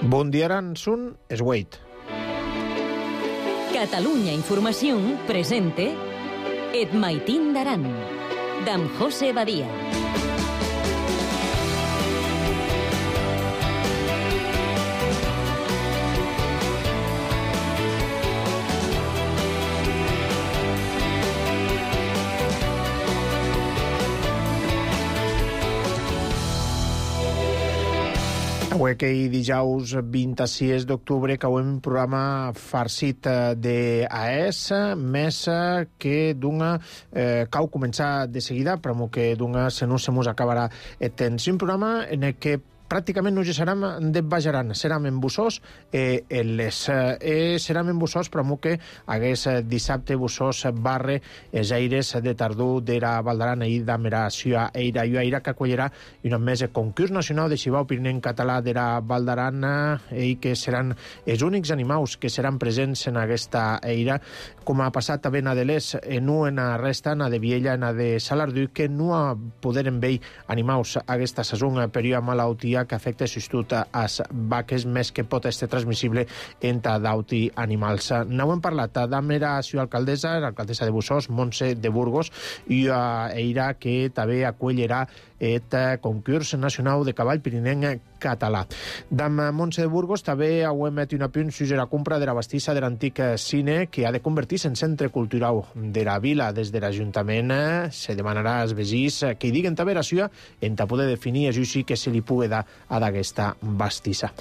Bon dia, Aransun, es Wait. Catalunya Informació presente Et Maitín d'Aran, d'en José Badia. Avui que dijous 26 d'octubre cauem un programa farcit d'AES, més que d'una cau començar de seguida, però que d'una se no se mos acabarà el temps. Un programa en el que pràcticament no serem de Bajaran, serem en Bussós serem en Bussós, però que hagués dissabte Bussós barre els aires de tardor d'era Valdaran i d'ameració eira i aira que acollirà un més concurs nacional de xivau pirinenc català d'era Valdaran i que seran els únics animals que seran presents en aquesta eira, com ha passat a Benadelés, no en la resta, en la de Viella, en la de Salardú, que no poderen veure animals aquesta saison per una malaltia que afecta sobretot a les vaques, més que pot ser transmissible entre d'auti animals. N'ho hem parlat amb la seva alcaldessa, l'alcaldessa de Bussós, Montse de Burgos, i ella que també acollirà el concurs nacional de cavall pirinenc català. D'am Montse de Burgos també hem met un apunt sobre la compra de la bastissa de l'antic cine que ha de convertir-se en centre cultural de la vila. Des de l'Ajuntament se demanarà als veïns que hi diguen també la seva en poder definir això sí que se li pugui dar a d'aquesta bastissa.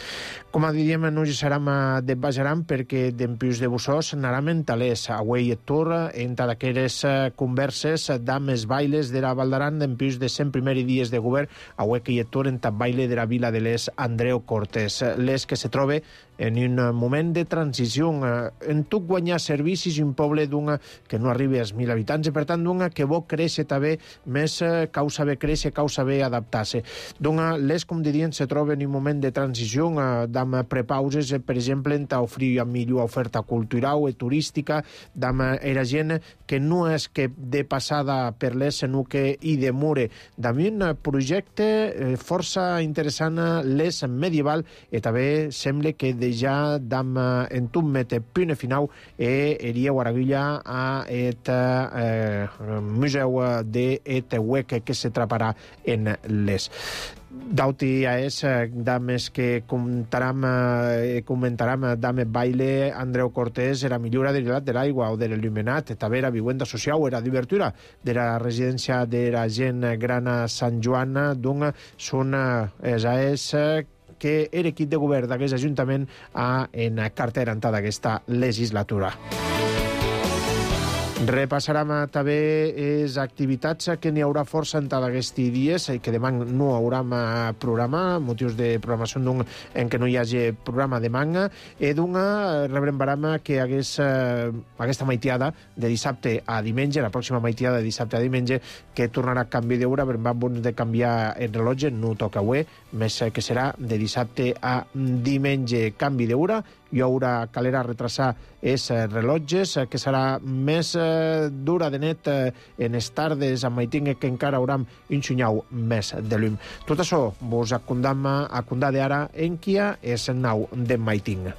Com diríem, no hi serem de Bajaran perquè d'empius de Bussós anarem en talers. Avui et tour entre d'aquelles converses d'am els bailes de la Valdaran d'empius de 101 dies de govern. Avui que hi et tour en baile de la vila de les Andreu Cortés. Les que se trobe en un moment de transició en tot guanyar servicis i un poble d'una que no arribi als 1.000 habitants i per tant d'una que vol créixer també més causa bé créixer, causa bé adaptar-se. D'una, les com dirien se troben en un moment de transició d'am prepauses, per exemple, en ofrir millor oferta cultural i turística, d'am era gent que no és que de passada per les, sinó que hi demore. D'am un projecte força interessant, les medieval, i també sembla que ja d'am en tot mete punt final eria Guaraguilla a et museu de et huec que se traparà en les. D'auti és dames que comentarem dame baile Andreu Cortés era millora de l'hilat de l'aigua o de l'il·luminat, també era vivienda social, era d'obertura de la residència de la gent gran a Sant Joan, d'on són és que era equip de govern d'aquest Ajuntament en cartera en d'aquesta legislatura. Repassarem també les activitats que n'hi haurà força en aquests dies i que demà no haurem programa, motius de programació en què no hi hagi programa demà, i d'una rebrembarem que aquesta maitiada de dissabte a diumenge, la pròxima maitiada de dissabte a diumenge, que tornarà a canvi d'hora, vam de canviar el rellotge, no toca avui, més que serà de dissabte a diumenge canvi d'hora, hi haurà calera retrasar els rellotges, que serà més dura de net en les tardes amb Maiting, que encara haurem un xunyau més de llum. Tot això vos acondam ara en Kia és el nou de Maiting.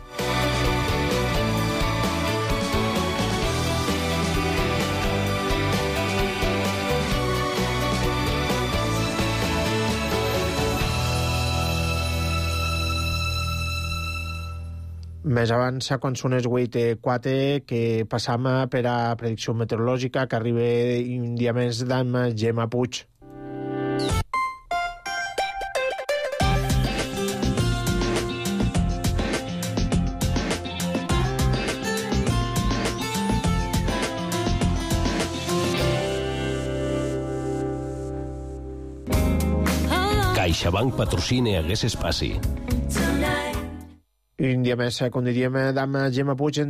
Més abans, quan són els 8:04, que passam per a predicció meteorològica, que arriba un dia més d'am Gemma Puig. CaixaBank patrocina aquest espai. Un dia més, com diríem, d'am Gemma Puig,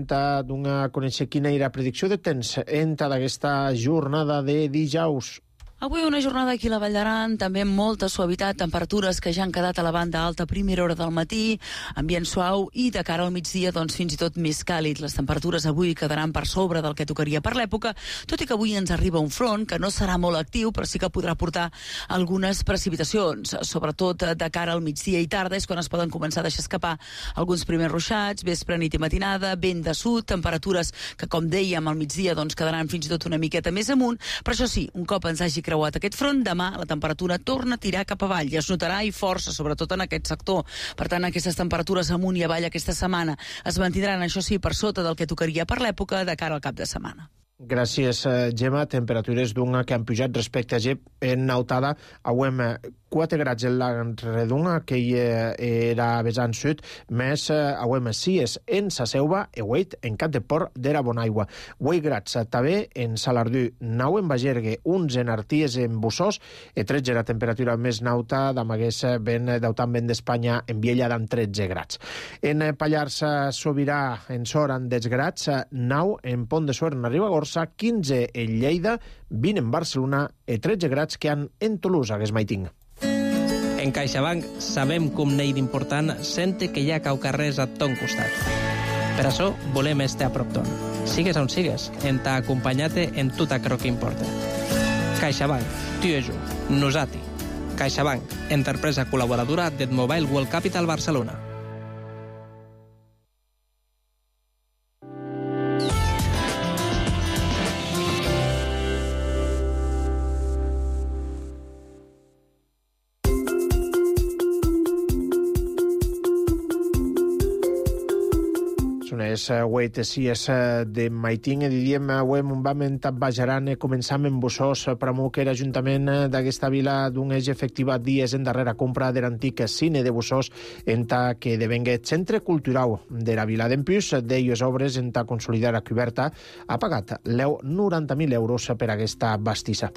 d'una conèixer quina era la predicció de temps d'aquesta jornada de dijous. Avui una jornada aquí a la Vall d'Aran, també amb molta suavitat, temperatures que ja han quedat a la banda alta a primera hora del matí, ambient suau i de cara al migdia doncs fins i tot més càlid. Les temperatures avui quedaran per sobre del que tocaria per l'època, tot i que avui ens arriba un front que no serà molt actiu, però sí que podrà portar algunes precipitacions, sobretot de cara al migdia i tarda, és quan es poden començar a deixar escapar alguns primers ruixats, vespre, nit i matinada, vent de sud, temperatures que, com dèiem, al migdia doncs quedaran fins i tot una miqueta més amunt, però això sí, un cop ens hagi creuat aquest front, demà la temperatura torna a tirar cap avall i es notarà i força, sobretot en aquest sector. Per tant, aquestes temperatures amunt i avall aquesta setmana es mantindran, això sí, per sota del que tocaria per l'època de cara al cap de setmana. Gràcies, Gemma. Temperatures d'una que han pujat respecte a Gep en Nautada. Auem 4 grads en la Redunga, que era vessant sud, més auem 6 en Sa Selva e 8 en Cap de Port d'Era Bonaigua. 8 grads també en Salardú, 9 en Bagergue, 11 en Arties en Bussós, e 13 la temperatura més nauta d'amagués ben d'autant vent d'Espanya en Viella d'en 13 grads. En Pallars Sobirà en Sor en 10 grads, 9 en Pont de Suert en Ribagorça, 15 en Lleida, 20 en Barcelona i 13 grads que han en Toulouse, a Gesmaiting. En CaixaBank sabem com n'hi d'important sente que hi ha cau carrers a ton costat. Per això volem estar a prop ton. Sigues on sigues, en t'ha acompanyat en tot aquello que importa. CaixaBank, tu i jo, nosati. CaixaBank, empresa col·laboradora del Mobile World Capital Barcelona. Les 8 sies de Maiting e diríem avem un vam en Bajaran començam en Bussós per que l'Ajuntament d'aquesta vila d'un eix efectiva dies en darrera compra de l'antic cine de Bussós en que devengue centre cultural de la vila. D'empús d'elles obres en consolidar la coberta ha pagat 90.000 euros per aquesta bastissa.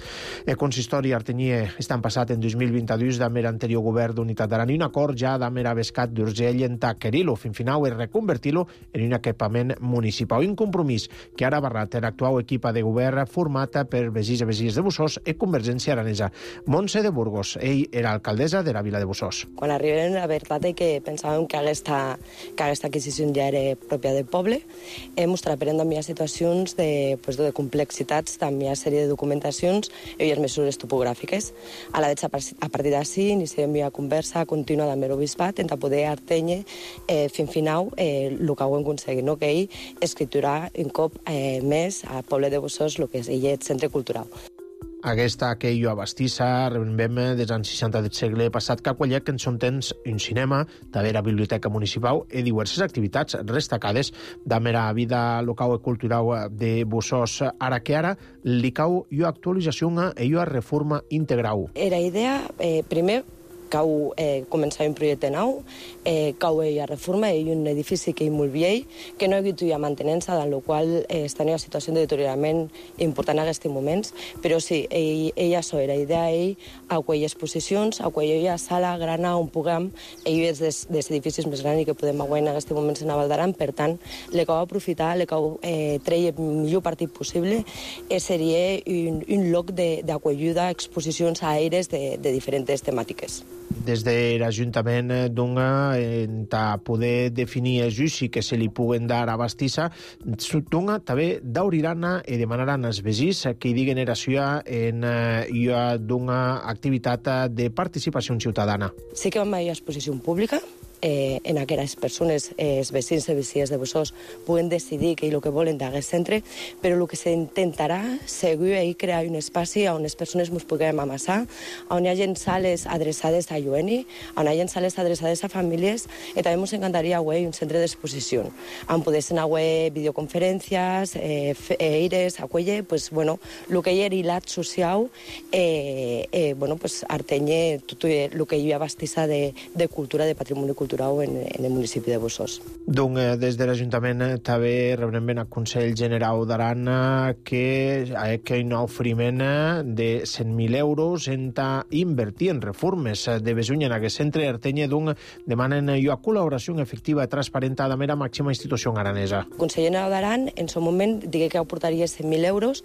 El consistori Artenyé estan passat en 2022 d'Amer anterior govern d'Unitat d'Aran i un acord ja d'Amer Bescat d'Urgell en querir-lo fin final i reconvertir-lo en un equipament municipal. Un compromís que ara barrat l'actual equipa de govern formata per vegís i vegís de Bussós i Convergència Aranesa. Montse de Burgos, ell era alcaldessa de la vila de Bussós. Quan arribem, la veritat és que pensàvem que aquesta adquisició ja era pròpia del poble. Mos traperen també a situacions de complexitats, també a sèrie de documentacions i les mesures topogràfiques. A partir d'ací iniciem una conversa contínua amb l'Obispat per poder artenye fin final el que ho hem aconseguit, que ell escriturà un cop més al poble de Bussós el que és el centre cultural. Aquesta que jo a Bastissa rebem des anys 60 del segle passat que quallec en son temps un cinema, també la biblioteca municipal i diverses activitats destacades de la vida local i cultural de Bussós. Ara que ara li cau jo actualització i jo reforma integral. Era idea, primer, cau començar un projecte nou, cau a reforma i un edifici que és molt vell, que no ha hagut ja mantenença, en el qual està en una situació de deteriorament important en aquests moments, però sí, ella això era idea, a aquelles exposicions, a aquella sala grana on puguem, ell és dels edificis més grans que podem veure en aquests moments en Val d'Aran, per tant, le cau aprofitar, le cau treure el millor partit possible, seria un lloc d'acollida a exposicions aèries de diferents temàtiques. Des de l'Ajuntament d'Unga, per poder definir el judici que se li puguen dar a Bastissa, d'Unga també d'Aurirana i demanaran als veïns que hi diguen era suya en d'una activitat de participació ciutadana. Sí que vam haver exposició pública, en aquelles persones, els veïns i veïnes de Bussós, puguen decidir què és el que volen d'aquest centre, però el que s'intentarà segur és crear un espai on les persones ens puguem amassar, on hi hagi sales adreçades a lluent, on hi hagi sales adreçades a famílies, i també ens encantaria un centre d'exposició, on podessin haver videoconferències, eires, aquella, el que hi ha hilat social, artenye tot el que hi ha Bastissa de cultura, de patrimoni cultural, cultura en el municipi de Bussos. Donc, des de l'Ajuntament també rebrem ben el Consell General d'Aran que hi ha un oferiment de 100.000 euros en invertir en reformes de Besunya en aquest centre Artenya, donc demanen una col·laboració efectiva i transparent de la màxima institució aranesa. El Consell General d'Aran en el moment digué que aportaria 100.000 euros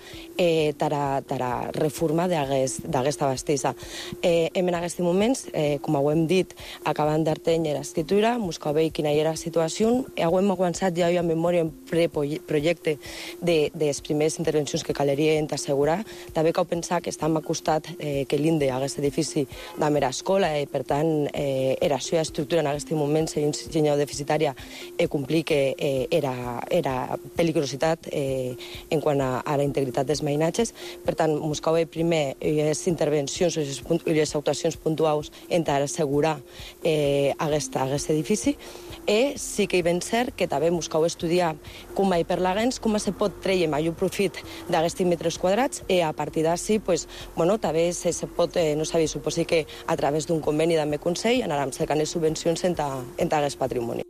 tara reforma d'aquesta bastissa. En aquests moments, com ho hem dit, acabant d'Artenya l'escriptura, buscar bé quina era la situació. Hem avançat ja a memòria en preprojecte de les primeres intervencions que caleria assegurar. També cal pensar que estem acostat que l'INDE, aquest edifici de mera escola, per tant, la seva estructura en aquest moment, si és deficitària, complir que era peligrositat en quant a la integritat dels veïnatges. Per tant, buscar bé primer les intervencions i les actuacions puntuals per assegurar aquest edifici. Sí que hi ben cert que també buscau estudiar com hi per l'agens, com se pot treure major profit d'aquests metres quadrats i a partir d'ací, també se pot, no sabia, suposi que a través d'un conveni d'AME Consell anàrem cercant les subvencions en aquest patrimoni.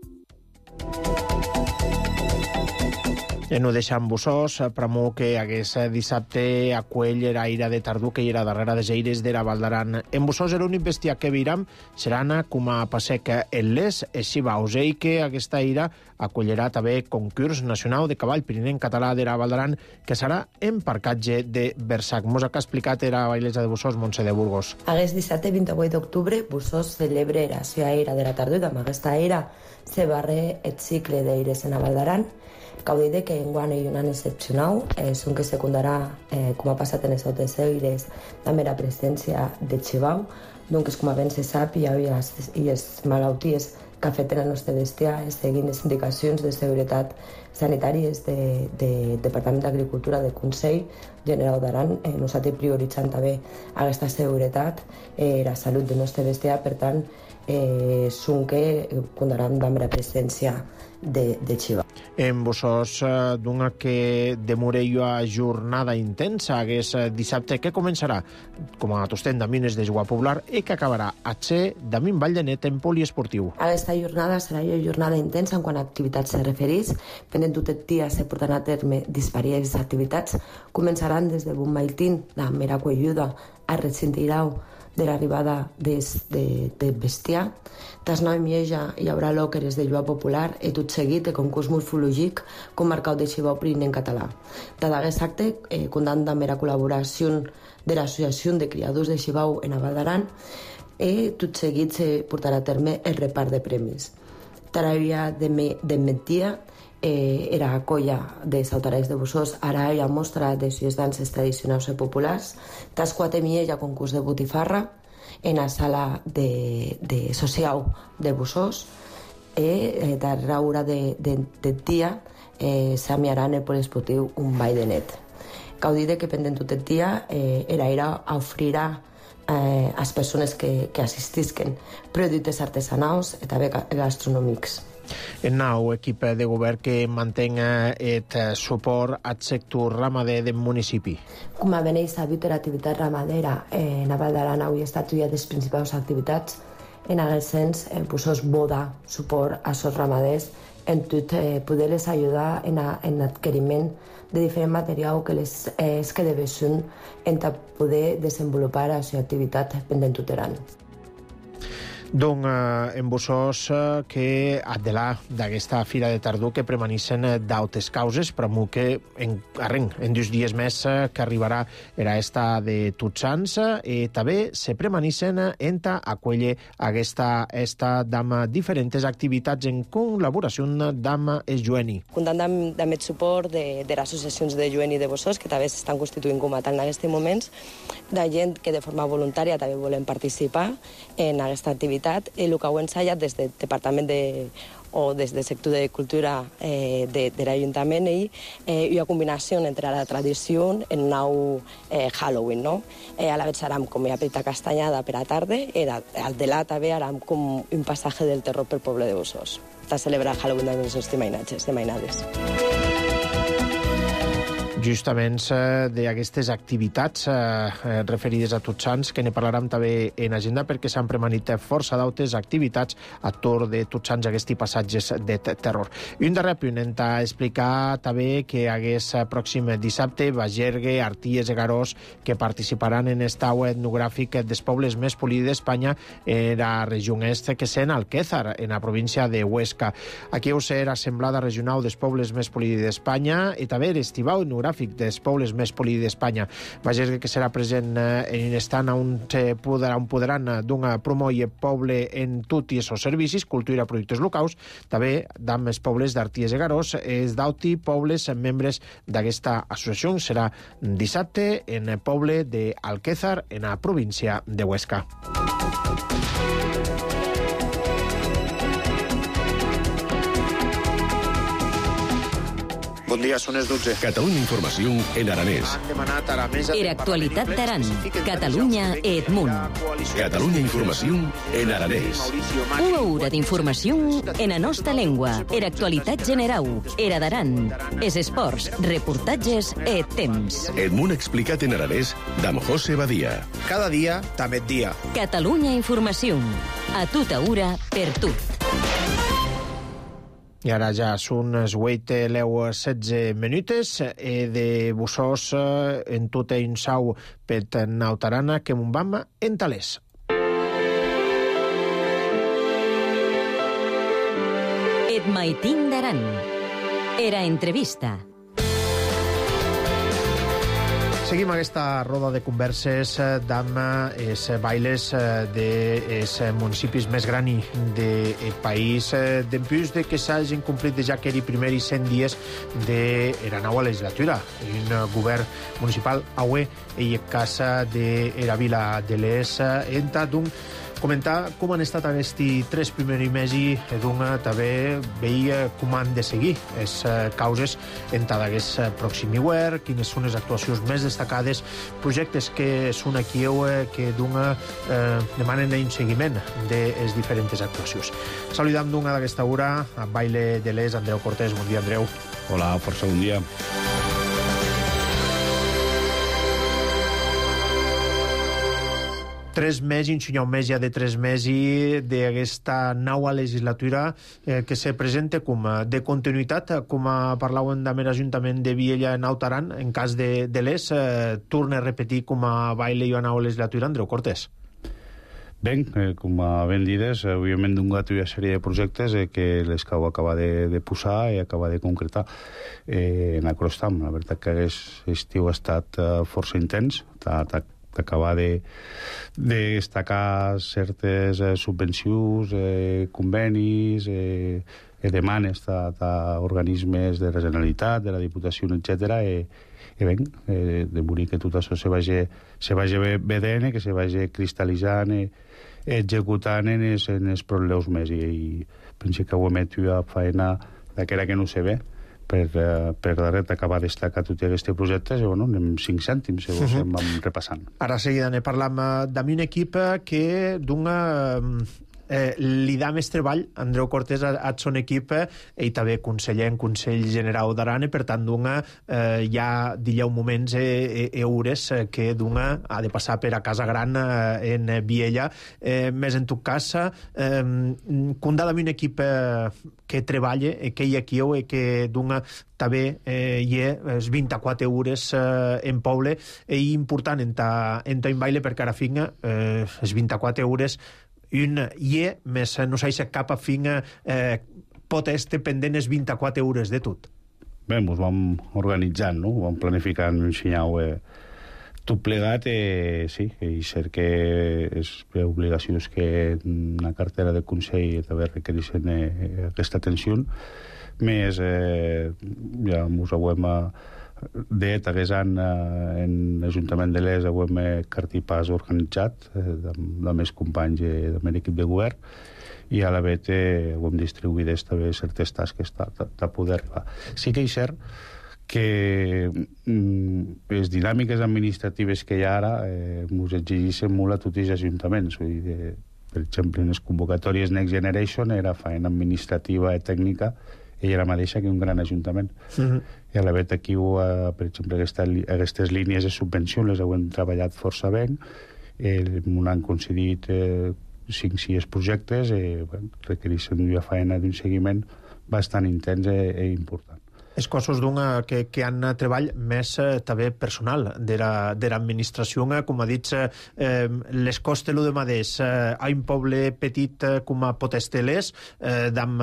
No deixant Bussos, promou que aquest dissabte a Cuell era ira de tardor que hi era darrere des aires de la Val d'Aran. En Bussos l'únic bestiar que veiram seran com a passec en les Xivaus i que aquesta ira acollirà també concurs nacional de cavall pirinenc català de la Val d'Aran que serà en parcatge de Versac. Mos ha explicat era bailesa de Bussos, Montse de Burgos. Aquest dissabte 28 d'octubre Bussos celebra la seva ira de la tardor i amb aquesta ira se barre el cicle d'aires en la Val d'Aran. Cal dir que enguany hi ha un any excepcional, és un que secundarà, com ha passat en les altres aires, també la presència de Xivau, doncs com ben se sap hi ha les malalties que afecten el nostre bestiar seguint les indicacions de seguretat sanitàries del Departament d'Agricultura del Consell General d'Aran. Nosaltres prioritzant també aquesta seguretat, la salut del nostre bestiar, per tant, són que comptaran amb la presència de Xivau. En Bussos, d'una que demora una jornada intensa aquest dissabte que començarà com a tostent d'amines de jugar popular i que acabarà a Txer d'Amin Vall de Net en poliesportiu. Aquesta jornada serà una jornada intensa en quant a activitats se referís. Pendent tot el dia se portaran a terme diverses activitats. Començaran des de Bonmaitín, la mera Cuelluda, a Retxintirau, de l'arribada de bestiar. Tas 9 Mieja hi haurà l'òqueres de lluar popular i tot seguit de concurs morfològic com marcat de Xivau pirinenc català. D'aquest acte, comptant també la col·laboració de l'Associació de Criadors de Xivau en la Val d'Aran i tot seguit se portarà a terme el repart de premis. Tarària de Mettia era a colla de Sautarells de Bussos, ara hi ha mostra de les danses tradicionals i populars. Tas 4 hi ha concurs de botifarra en la sala de social de Bussos i darrere hora de dia s'amiarà en el poliesportiu un ball de net. Cal dir que pendent tot el dia era ofrirà a les persones que assistisquen productes artesanals i també gastronòmics. El nou equip de govern que manté el suport al sector ramader del municipi. Com a ben sabut, l'activitat ramadera en la Val d'Aran avui ha estat una de les principals activitats. En aquest sens, Bussos voda suport a els ramaders en tot poder-les ajudar en l'adquiriment de diferent material que és que devessin en poder desenvolupar la seva activitat pendent tot l'any. Donc, en Bussos que adelà d'aquesta fira de tardor que permaneixen d'altres causes, però que en 2 dies més que arribarà era esta de Tots Sants i també se permaneixen en acollir aquesta d'amb diferents activitats en col·laboració d'amb el Jueni. Comptant amb el suport de les associacions de Jueni de Bussos, que també s'estan constituint com a tal en aquests moments, de gent que de forma voluntària també volen participar en aquesta activitat i el que ho ensaiat des del Departament o des del sector de cultura de l'Ajuntament i una combinació entre la tradició i el nou Halloween. A la vegada serà com una petita castanyada per a tarda i al delà també serà com un passatge del terror pel poble de Bussos. Està celebrar Halloween amb els seus mainatges, de mainades. Justament d'aquestes activitats referides a Tots Sants, que ne parlarem també en agenda, perquè s'han premanit força d'altres activitats a torn de Tots Sants, aquests passatges de terror. I un darrer punt, hem d'explicar també que hagués pròxim dissabte Bagergue, Arties i Garós, que participaran en este au etnogràfic dels pobles més polits d'Espanya en la regió est, que és en Alquézar, en la província de Huesca. Aquí us serà assemblada regional dels pobles més polits d'Espanya i també l'estivau etnogràfic dels pobles més polits d'Espanya. Bagergue, que serà present en estant on podran d'un promoure poble en tot i els servicis, cultura i productes locals, també amb els pobles d'Arties i Garós, els d'auti pobles membres d'aquesta associació. Serà dissabte en el poble d'Alquézar, en la província de Huesca. Bon dia, són les 12. Catalunya Informació en aranès. Era actualitat d'Aran. Catalunya et Munt. Catalunya Informació en aranès. Una hora d'informació en la nostra llengua. Era actualitat general. Era d'Aran. Es esports, reportatges et temps. Et Munt explicat en aranès d'en José Badia. Cada dia, també dia. Catalunya Informació. A tota hora, per tot. I ara ja són les 8:16 minutes de bussós en tot un sau per Nautarana que m'un vam en talès. Et maitin d'Aran. Era entrevista. Seguim aquesta roda de converses amb els bailes dels municipis més grans del país, dempús de que s'hagin complit ja que era primer i 100 dies de la nova legislatura. Un govern municipal aué i casa de la vila de l'Es entra d'un comentar com han estat aquests 3 primers mesos i també veia com han de seguir les causes en tot aquest pròxim hivern, quines són les actuacions més destacades, projectes que són aquí que demanen un seguiment de les diferents actuacions. Saludam d'aquesta hora a Baile de l'Es, Andreu Cortés. Bon dia, Andreu. Hola, força bon dia. 3 mesos, un mes ja de 3 mesos d'aquesta nova legislatura que se presenta com de continuïtat, com parlàvem amb l'Ajuntament de Viella en Nautaran, en cas de l'Es, torna a repetir com a baile i a nova legislatura, Andreu Cortés. Ben, com ben dides, òbviament d'un gat hi ha sèrie de projectes que les cau acaba de posar i acaba de concretar en Acrostam. La veritat que aquest estiu ha estat força intens, d'acabar de destacar certes subvencions, convenis, demanes d'organismes de la Generalitat, de la Diputació, etc. I ben, de morir que tot això se vagi vedent, que se vagi cristal·litzant, executant en els problemes més. I penso que ho hem fet una feina d'aquera que no se ve, per darrere acabar de destacar tots aquests projectes, i anem 5 cèntims, em vam repassant. Ara seguida ne parlam d'un equip que dona li dà més treball, Andreu Cortés, a son equip, i també conseller en Consell General d'Aran, per tant, ja dieu moments i hores que ha de passar per a Casa Gran en Viella. Més en tot cas, condà d'un equip que treballa, que hi ha aquí, que també hi ha 24 hores en poble, i important en un baile, perquè ara finga les 24 hores un ie, més no s'ha cap a fin pot estar pendent les 24 hores de tot. Bé, ens vam organitzant, no? Vam planificant un senyal tot plegat, sí, i cert que és obligacions que una cartera de Consell també requereixen aquesta atenció, més ja ens ho hem d'et hagués en l'Ajuntament de l'Es ho hem cartipàs organitzat amb més companys del meu equip de govern, i a la vegada ho hem distribuït també certes tasques de poder arribar. Sí que és cert que les dinàmiques administratives que hi ha ara ens exigeixen molt a tots els ajuntaments. Per exemple, en les convocatòries Next Generation era feina administrativa i tècnica ella era mateixa que un gran ajuntament. I a la vet aquí, per exemple, aquestes línies de subvenció les hem treballat força bé, m'ho han concedit 5-6 projectes, requereixen una feina d'un seguiment bastant intens i important. Els cossos que han treball més també personal de l'administració, com ha dit, les costes de madés a un poble petit com a Potesteles, amb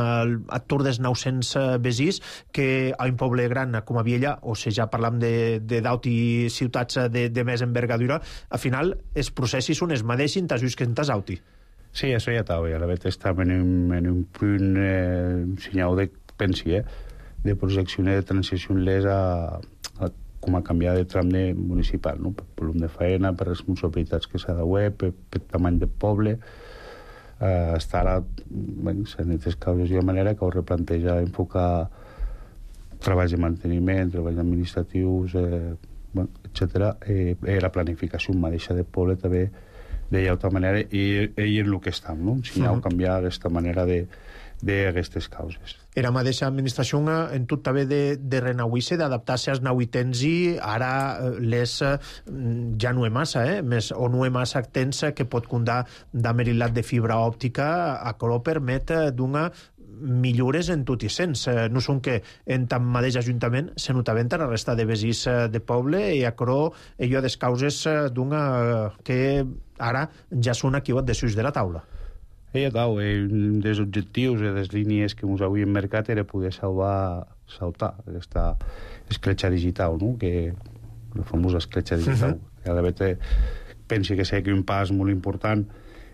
atur dels 900 besís, que a un poble gran com a Viella, o si ja parlam d'auti ciutats de més envergadura, al final els processos són els mateixos que en Tasauti. Sí, això ja estava, la veritat estava en un punt senyal de pensi, de projecció de transició com a canviar de tram municipal, no? Per volum de feina, per responsabilitats que s'ha de web, per tamany de poble. Està ara, s'han fet causes de manera que ho replanteja enfocar treballs de manteniment, treballs administratius, etc. La planificació mateixa de poble també d'altra manera, i en el que estem, no? Si hi ha canviar aquesta manera d'aquestes causes. Era mateixa administració en tot també de renauir-se, d'adaptar-se als nauitens, i ara les ja no és massa, més, o no és massa temps que pot comptar d'amerilat de fibra òptica, a que permet d'una millores en tot i sens. No són que en tant mateix ajuntament se notaven a la resta de vesís de poble, i a crò allò des causes d'una que ara ja són aquí de sus de la taula. Un dels objectius i les línies que ens havíem marcat era poder saltar aquesta escletxa digital, no? Que la famosa escletxa digital. A la vegada penso que sé que un pas molt important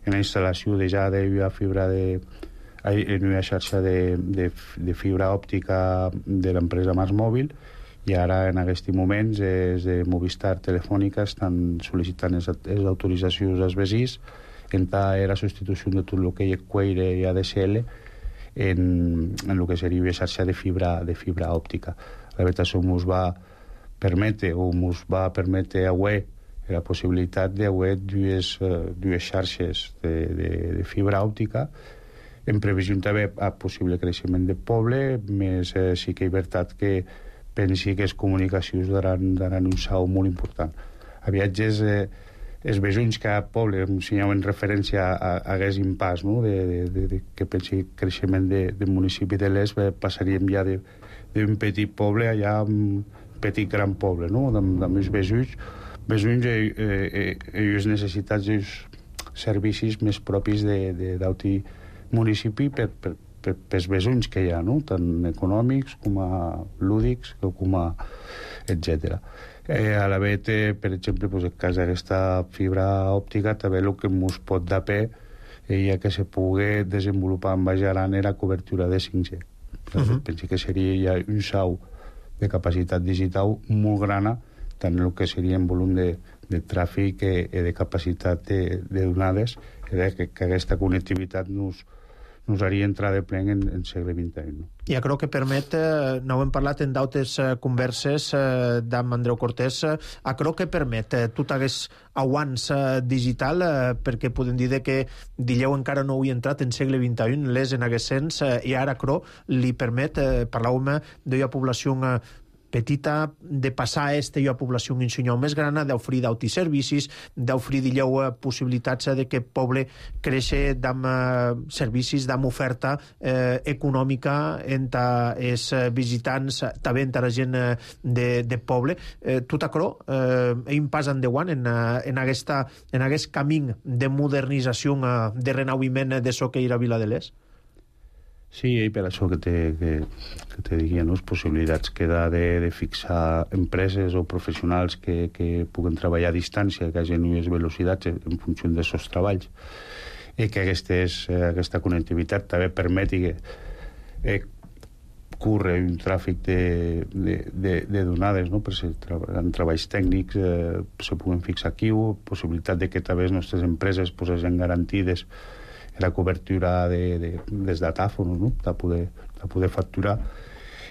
en la instal·lació de fibra en una xarxa de fibra òptica de l'empresa Mars Mòbil, i ara en aquests moments els de Movistar Telefònica estan sol·licitant les autoritzacions als vesís en la substitució de tot el que hi ha Quaire i ADSL en el que seria una xarxa de fibra òptica. La veritat, això ens va permetre avui la possibilitat d'haver dues xarxes de fibra òptica en previsió també a possible creixement de poble, més sí que és veritat que pensi que les comunicacions daran un salt molt important. A viatges, els besons que a poble ensenyaven referència a aquest impàs, no? Que pensi creixement del municipi de l'Est, passaríem ja d'un petit poble allà a un petit gran poble, no? Amb els besons i les necessitats dels servicis més propis d'auti municipi pels besons que hi ha, no? Tant econòmics com a lúdics com a etc. A la vegada, per exemple, en el cas d'aquesta fibra òptica, també el que ens pot dar pe ja que se pugui desenvolupar en Baix Aran era cobertura de 5G. Penso que seria ja un salt de capacitat digital molt grana, tant el que seria en volum de tràfic i de capacitat de donades, que aquesta connectivitat nos haria entrar de ple en segle XXI. No? Ja crec que permet, no hem parlat en d'altres converses d'en Andreu Cortés, crec que permet tot aquest avanç digital, perquè podem dir que Dilleu encara no hi ha entrat en segle XXI, l'és en aquest sens, i ara crec li permet, parlàvem d'una població petita, de passar a una població un senyal més gran, d'oferir d'autis servicis, d'oferir possibilitats de que el poble creixi amb servicis, amb oferta econòmica entre els visitants, també entre la gent de poble. Tot això és un pas endavant en aquest camí de modernització, de renauiment de so que era Vila de l'Est. Sí, i per això que te diria, no? Les possibilitats que ha de fixar empreses o professionals que puguen treballar a distància, que hagin unes velocitats en funció dels seus treballs, i que aquesta connectivitat també permeti que curre un tràfic de donades, no? Per ser en treballs tècnics se puguen fixar aquí, o possibilitat de que també les nostres empreses hagin garantides la cobertura dels datàfons, no? De poder facturar,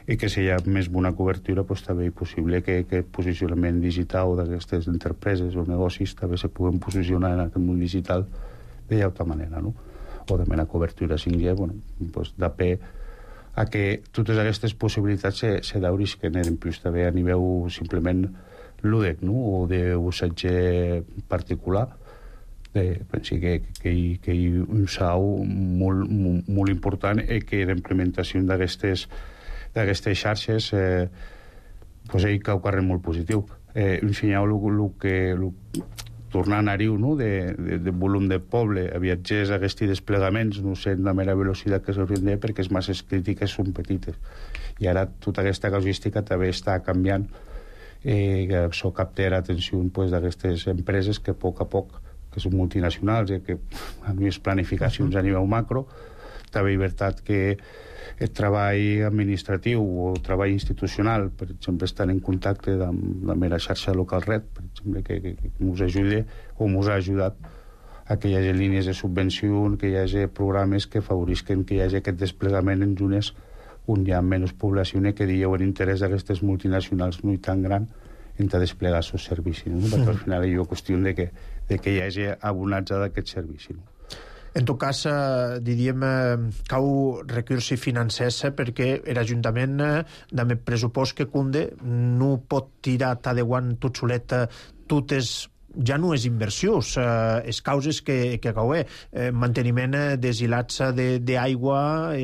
i que si hi ha més bona cobertura, també és possible que el posicionament digital d'aquestes empreses o negocis també se puguen posicionar en aquest món digital d'altra manera, no? O també la cobertura 5G, da pe a que totes aquestes possibilitats se daurisquen en plus també a nivell simplement lúdic, no? O d'usatge particular. Penso que hi ha un sau molt important i que la implementació d'aquestes xarxes hi cau carrer molt positiu. Ensenyau tornant a Ariu, no? de volum de poble, a viatgers a aquests desplegaments, no sé la mera velocitat que s'haurien de, perquè les masses crítiques són petites. I ara tota aquesta casuística també està canviant, que això capta l'atenció d'aquestes empreses que a poc, que són multinacionals i que han vist planificacions a nivell macro, també veritat que el treball administratiu o el treball institucional, per exemple, estan en contacte amb la mera xarxa local red, per exemple, que ens ajuda o ens ha ajudat a que hi hagi línies de subvenció, que hi hagi programes que favorisquen que hi hagi aquest desplegament en zones on hi ha menys població i que dieu l'interès d'aquestes multinacionals no tan gran en desplegar els seus servicis, no? Perquè al final hi ha qüestió de que hi hagi abonatge d'aquest servici, no? En tot cas, diríem, cau recursos financers perquè l'Ajuntament, amb el pressupost que cunde, no pot tirar t'adeguant tot solet totes ja no és inversions, és causes que caué, manteniment dels hilats d'aigua,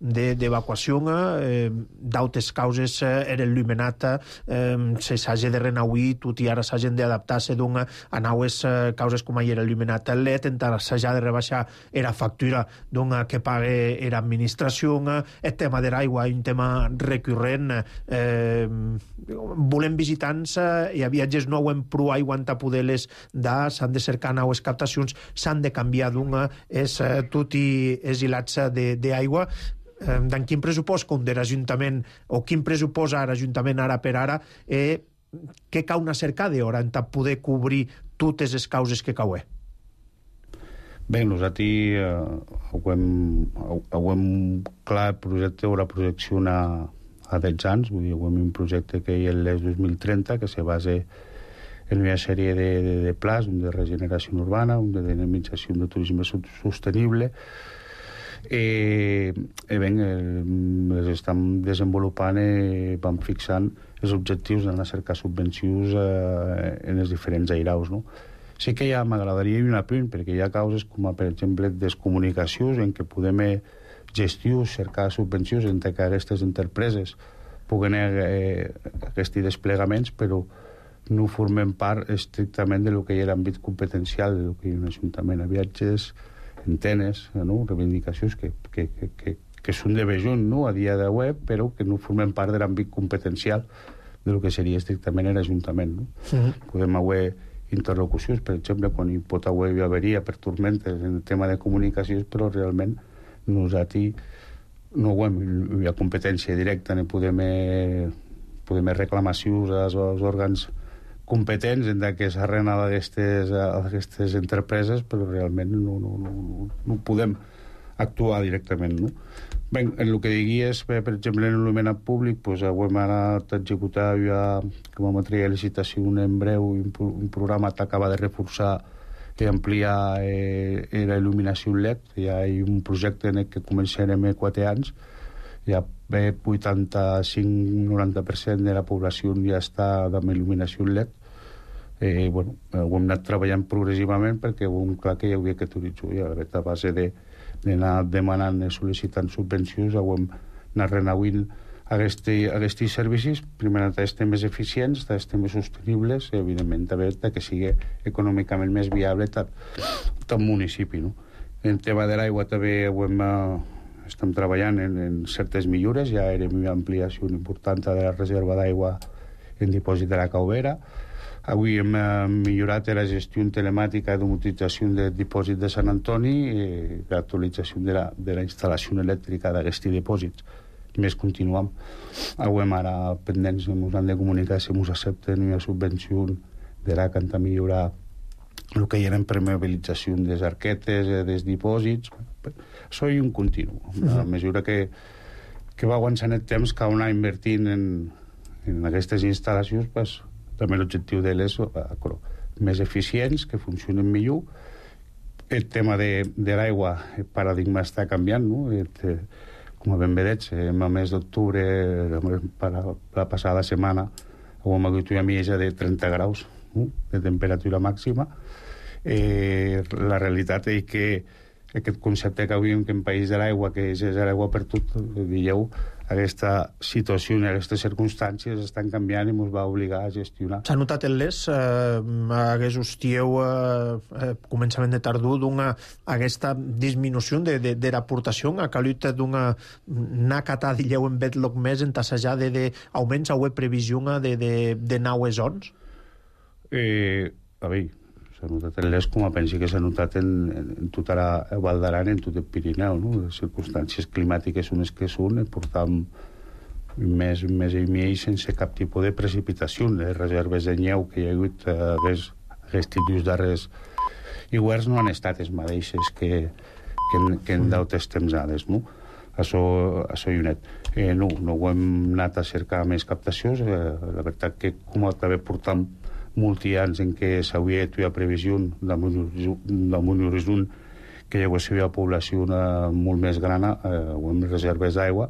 d'evacuació, d'altres causes era il·luminat, se s'hagi de renauir, tot i ara s'hagin d'adaptar-se a naues causes com era il·luminat el LED, encara s'hagi de rebaixar la factura que pague l'administració, el tema de l'aigua és un tema recurrent, volem visitants i a viatges no ho hem prou aigua a poder-les dar, s'han de cercar naues captacions, s'han de canviar tot i els hilats d'aigua. D'en quin pressupost com de l'Ajuntament o quin pressupost l'Ajuntament ara per ara què cau una cercada d'hora en poder cobrir totes les causes que caué? Bé, nosaltres ho hem clar, el projecte haurà projecció a 10 anys, vull dir, ho hem un projecte que és el 2030, que se basa en una sèrie de plans, un de regeneració urbana, un de dinamització de turisme sostenible, les estem desenvolupant i vam fixant els objectius d'anar a cercar subvencions en els diferents airaus, no? Sí que m'agradaria un apunt, perquè hi ha causes com, per exemple, descomunicacions en què podem gestionar, cercar subvencions entre que aquestes empreses puguen aquests desplegaments, però no formem part estrictament de lo que hi ha l'àmbit competencial de lo que hi ha un ajuntament a viatges, antenes, no? Reivindicacions que són de bejunt, no? A dia de web, però que no formem part de l'àmbit competencial de lo que seria estrictament l'Ajuntament, no? Podem haver interlocucions, per exemple, quan hi pot haver averia per tormentes en el tema de comunicacions, però realment nosaltres no hi ha competència directa, ni podem reclamacions als òrgans competents en que s'ha renat aquestes empreses, però realment no podem actuar directament, no? Bé, en el que diguies, per exemple, en l'il·luminat públic, ho hem anat a executar ja, que vam treure licitació en breu, un programa que acaba de reforçar i ampliar la il·luminació LED. Ja hi ha un projecte en que començarem 4 anys, ja 85-90% de la població ja està amb il·luminació LED. Ho hem anat treballant progressivament perquè ho hem clar que hi havia aquest horitzó, i a base d'anar demanant i sol·licitant subvencions ho hem anat renauint aquests servicis, primer estem més eficients, estem més sostenibles i evidentment també que sigui econòmicament més viable tot municipi, no? En tema de l'aigua també estem treballant en certes millores, ja era una ampliació important de la reserva d'aigua en dipòsit de la Caubera. Avui hem millorat la gestió telemàtica d'utilització del dipòsit de Sant Antoni i l'actualització de la instal·lació elèctrica d'aquests dipòsits. Més continuem. Avui ara pendents ens han de comunicar si ens accepten una subvenció de la que han de millorar el que hi ha en permeabilització des arquetes, dels dipòsits. Això és un continu. A mesura que va avançant el temps, cal anar invertint en aquestes instal·lacions, també l'objectiu d'elles més eficients, que funcionen millor. El tema de l'aigua, el paradigma està canviant, no? com a ben vedeig, en el mes d'octubre, la passada setmana, hem hagut una mitja de 30 graus de temperatura màxima. La realitat és que aquest concepte que havíem que en país de l'aigua, que és l'aigua per tot, dieu, aquesta situació i aquestes circumstàncies estan canviant i ens va obligar a gestionar. S'ha notat en les, hagués hostieu començament de tardor aquesta disminució de l'aportació, ha calut n'ha catat, dilleu, en bet loc més en tassejar d'augments a previsió de naues ons? A veure, s'ha notat en les com a pensi que s'ha notat en tota la Val d'Aran, en tot el Pirineu, no? Les circumstàncies climàtiques són les que són, portam un mes i mig sense cap tipus de precipitació. Les reserves de neu que hi ha hagut aquests darrers hiverns no han estat les mateixes que en d'altres temsades, no? Això hi ha net. No ho hem anat a cercar més captacions. La veritat que com també portam molts anys en què s'havia de fer previsió damunt l'horitzó que hi hagués una població molt més gran o amb reserves d'aigua,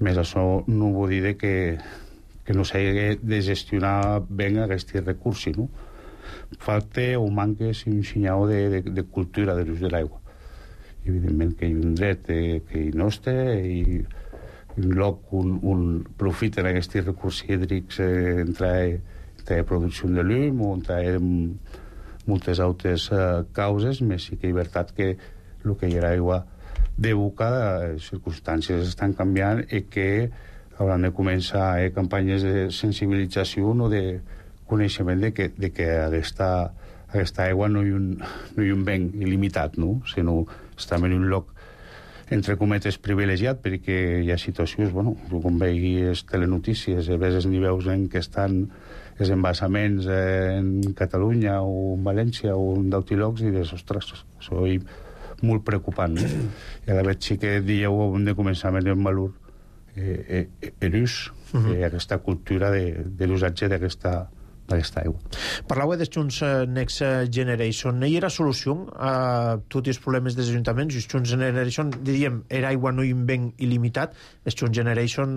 més això no vol dir que no s'hagi de gestionar bé aquests recursos, no? Falta o manca un senyal de cultura de l'ús de l'aigua. Evidentment que hi ha un dret que hi no està i un lloc on profiten aquests recursos hídrics entre producció de llum o entre moltes altres causes, més sí que és veritat que el que hi ha aigua de boca, les circumstàncies estan canviant i que hauran de començar campanyes de sensibilització o de coneixement de que aquesta aigua no hi ha un ben il·limitat, no? Sinó està en un lloc entre cometes privilegiat, perquè hi ha situacions, com veiguis telenotícies, ves els nivells en què estan els embassaments en Catalunya o en València o en d'altres llocs i dius, ostres, això és molt preocupant. I a la vegada sí que dieu de començament en valor l'ús, aquesta cultura de l'usatge d'aquesta aigua. Parlàveu dels Junts Next Generation. Hi era solució a tots els problemes dels ajuntaments? Els Junts Generation, diríem, era aigua no un ben il·limitat. Els Junts Generation,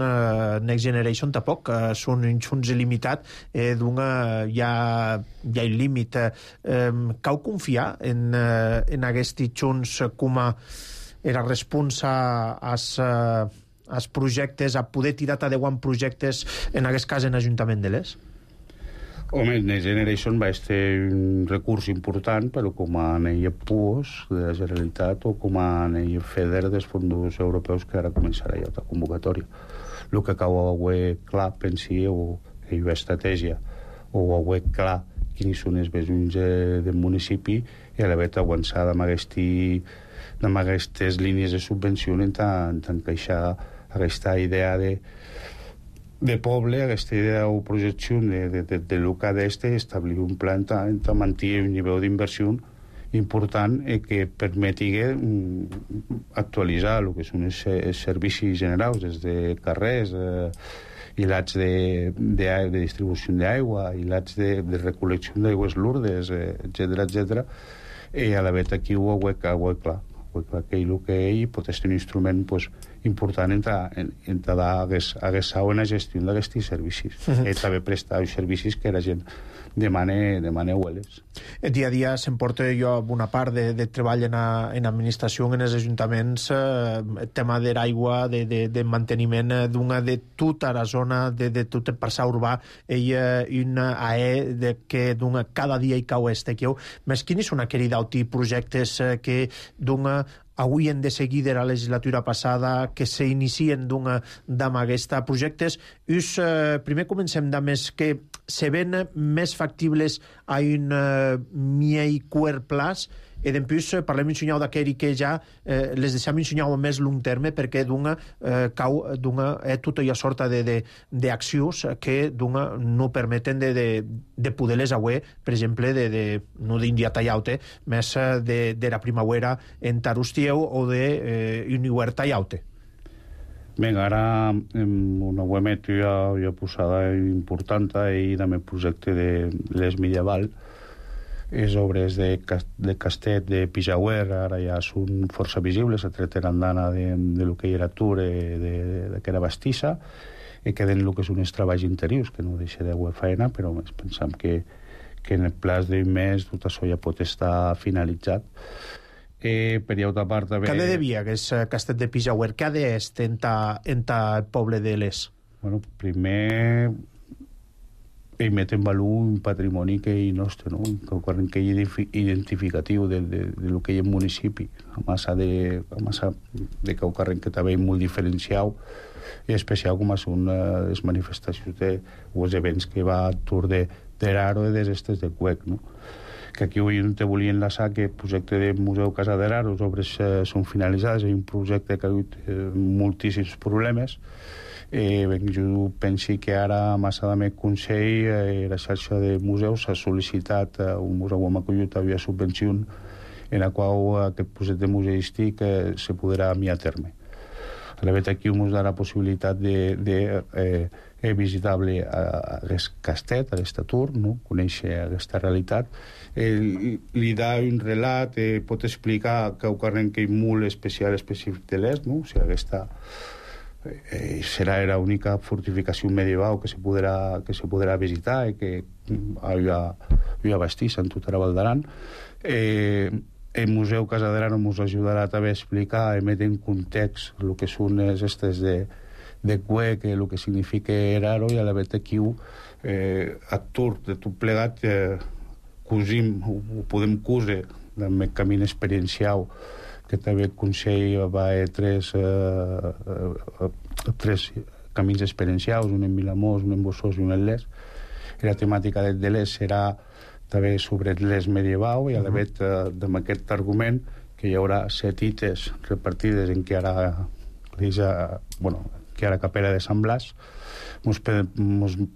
Next Generation, tampoc són un Junts il·limitat, hi ha un límit. Cau confiar en aquests Junts com a era responsa als projectes, a poder tirar endavant projectes, en aquest cas en Ajuntament de l'Es? Home, Next Generation va ser un recurs important, però com a anell PUOS de la Generalitat o com a anell FEDER dels fons europeus que ara començarà ja la convocatòria. El que cal haver clar, pensi, o hi ha estratègia, o haver clar quins són els besoins del municipi i a la vegada avançar amb aquestes línies de subvenció en encaixar aquesta idea de poble, aquesta idea o projecció de l'UCA d'este, establir un pla per mantenir un nivell d'inversió important que permeti actualitzar el que són els servicis generals, des de carrers, hilats de distribució d'aigua, hilats de recol·lecció d'aigües lurdes, etc. I a la vegada aquí ho ha clar. Que el que ell pot ser un instrument important en haguessar una gestió d'aquests servicis i també prestar els servicis que la gent demana hueles. El dia a dia s'emporta jo una part de treball en administració en els ajuntaments, el tema de l'aigua, de manteniment de tota la zona, de tot el parçà urbà, una AE que cada dia hi cau més quins són aquells d'altres projectes que avui hem de seguir de la legislatura passada que s'inicien amb aquests projectes. Primer comencem amb els que se ven més factibles a un miei quart plaç i després parlem un senyal d'aquell que ja les deixem un senyal més long terme perquè cau tota una sorta d'accions que no permeten de poder-les avui, per exemple, no d'india tallaute, més de la primavera en Tarustieu o d'un hivern tallaute. Vinga, ara una web ja posada important i també el projecte de l'Es Medieval les obres de Castet, de Pijauer, ara ja són força visibles, a treter andana de lo que hi era Tour, de que era Bastissa, i queden el que són els treballs interiors, que no deixa de faena, però pensam que en el plaç d'un mes tot això ja pot estar finalitzat. Per altra part... Què de devia, aquest Castet de Pijauer? Què és en el poble de l'Es? Bueno, primer... i met en valor un patrimoni que hi nostre, no? Que hi identificatiu de lo que hi ha en municipi, a massa de Caucarren, que també és molt diferenciat, i especial com són les manifestacions o els events que va a Tour d'Eraro i des estes de Cuec, no? Que aquí avui te volia enlaçar que el projecte de Museu Casa d'Eraro, les obres són finalitzades, és un projecte que ha hagut moltíssims problemes. Jo penso que ara, massa de més Consell, la xarxa de museus ha sol·licitat un museu amb acollit havia subvenció en la qual aquest projecte museístic se podrà enviar a terme. A la veritat, aquí ens darà la possibilitat de visitable a Castet, a l'Estatur, no? Conèixer aquesta realitat. Li dà un relat, pot explicar que Caucarren que és molt especial, específic de l'est, no? O sigui, aquesta serà l'única fortificació medieval que se podrà visitar i que hi ha Bastissa en tota la Val d'Aran. El Museu Casa d'Eraro ens ajudarà també a explicar i metre en context el que són les estes de Cuec, el que significa Eraro, i a la veritat aquí a Tour de tot plegat cosim, ho podem cosir amb el camí experiencial que també el Consell va a tres camins experiencials, un en Vilamós, un en Bossós i un en l'Es. I la temàtica de l'Es serà també sobre l'Es medieval, i a la vegada amb aquest argument que hi haurà 7 ites repartides en que ara Capella de Sant Blas ens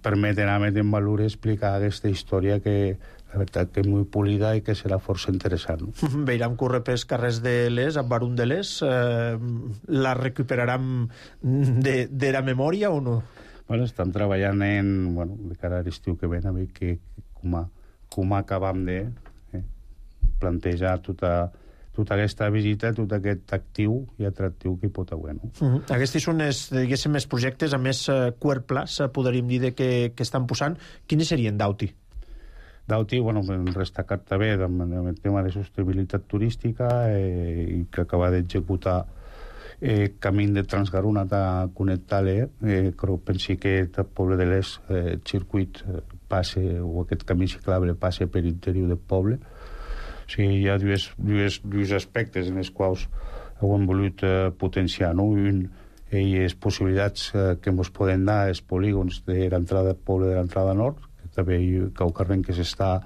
permeten a metre en valor explicar aquesta història que la veritat que és molt polida i que serà força interessant. Veiram córrer pels carrers de l'Es, amb Barun de l'Es, la recuperaran de la memòria o no? Bueno, estem treballant de cara a l'estiu que ven, a veure com acabam de plantejar tota aquesta visita, tot aquest actiu i atractiu que hi pot haver. No? Aquests són els projectes a més cuerplas, podríem dir que estan posant. Quines serien d'Auti? D'Auti, destacat també amb el tema de sostenibilitat turística i que acaba d'executar camí de Transgarona a connectar-le, però pensi que el poble de l'Es, el circuit passe, o aquest camí ciclable passe per l'interior del poble. O sigui, hi ha dos aspectes en els quals hem volut potenciar, no? Un, les possibilitats que ens poden dar els polígons de l'entrada del poble de l'entrada nord, que també Caucarren que s'està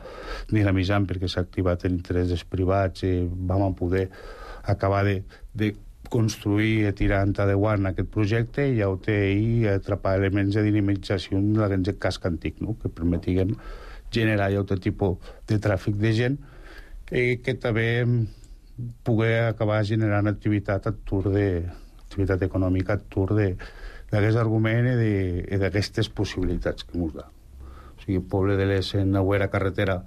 dinamitzant perquè s'ha activat l'interès dels privats i vam poder acabar de construir i tirar endavant aquest projecte, i ja ho té i atrapar elements de dinamització en el casc antic, no? Que permetien generar ja un tipus de tràfic de gent que també poder acabar generant activitat activitat econòmica d'aquest argument i d'aquestes possibilitats que ens dà. O sigui, el poble de l'Es en la carretera,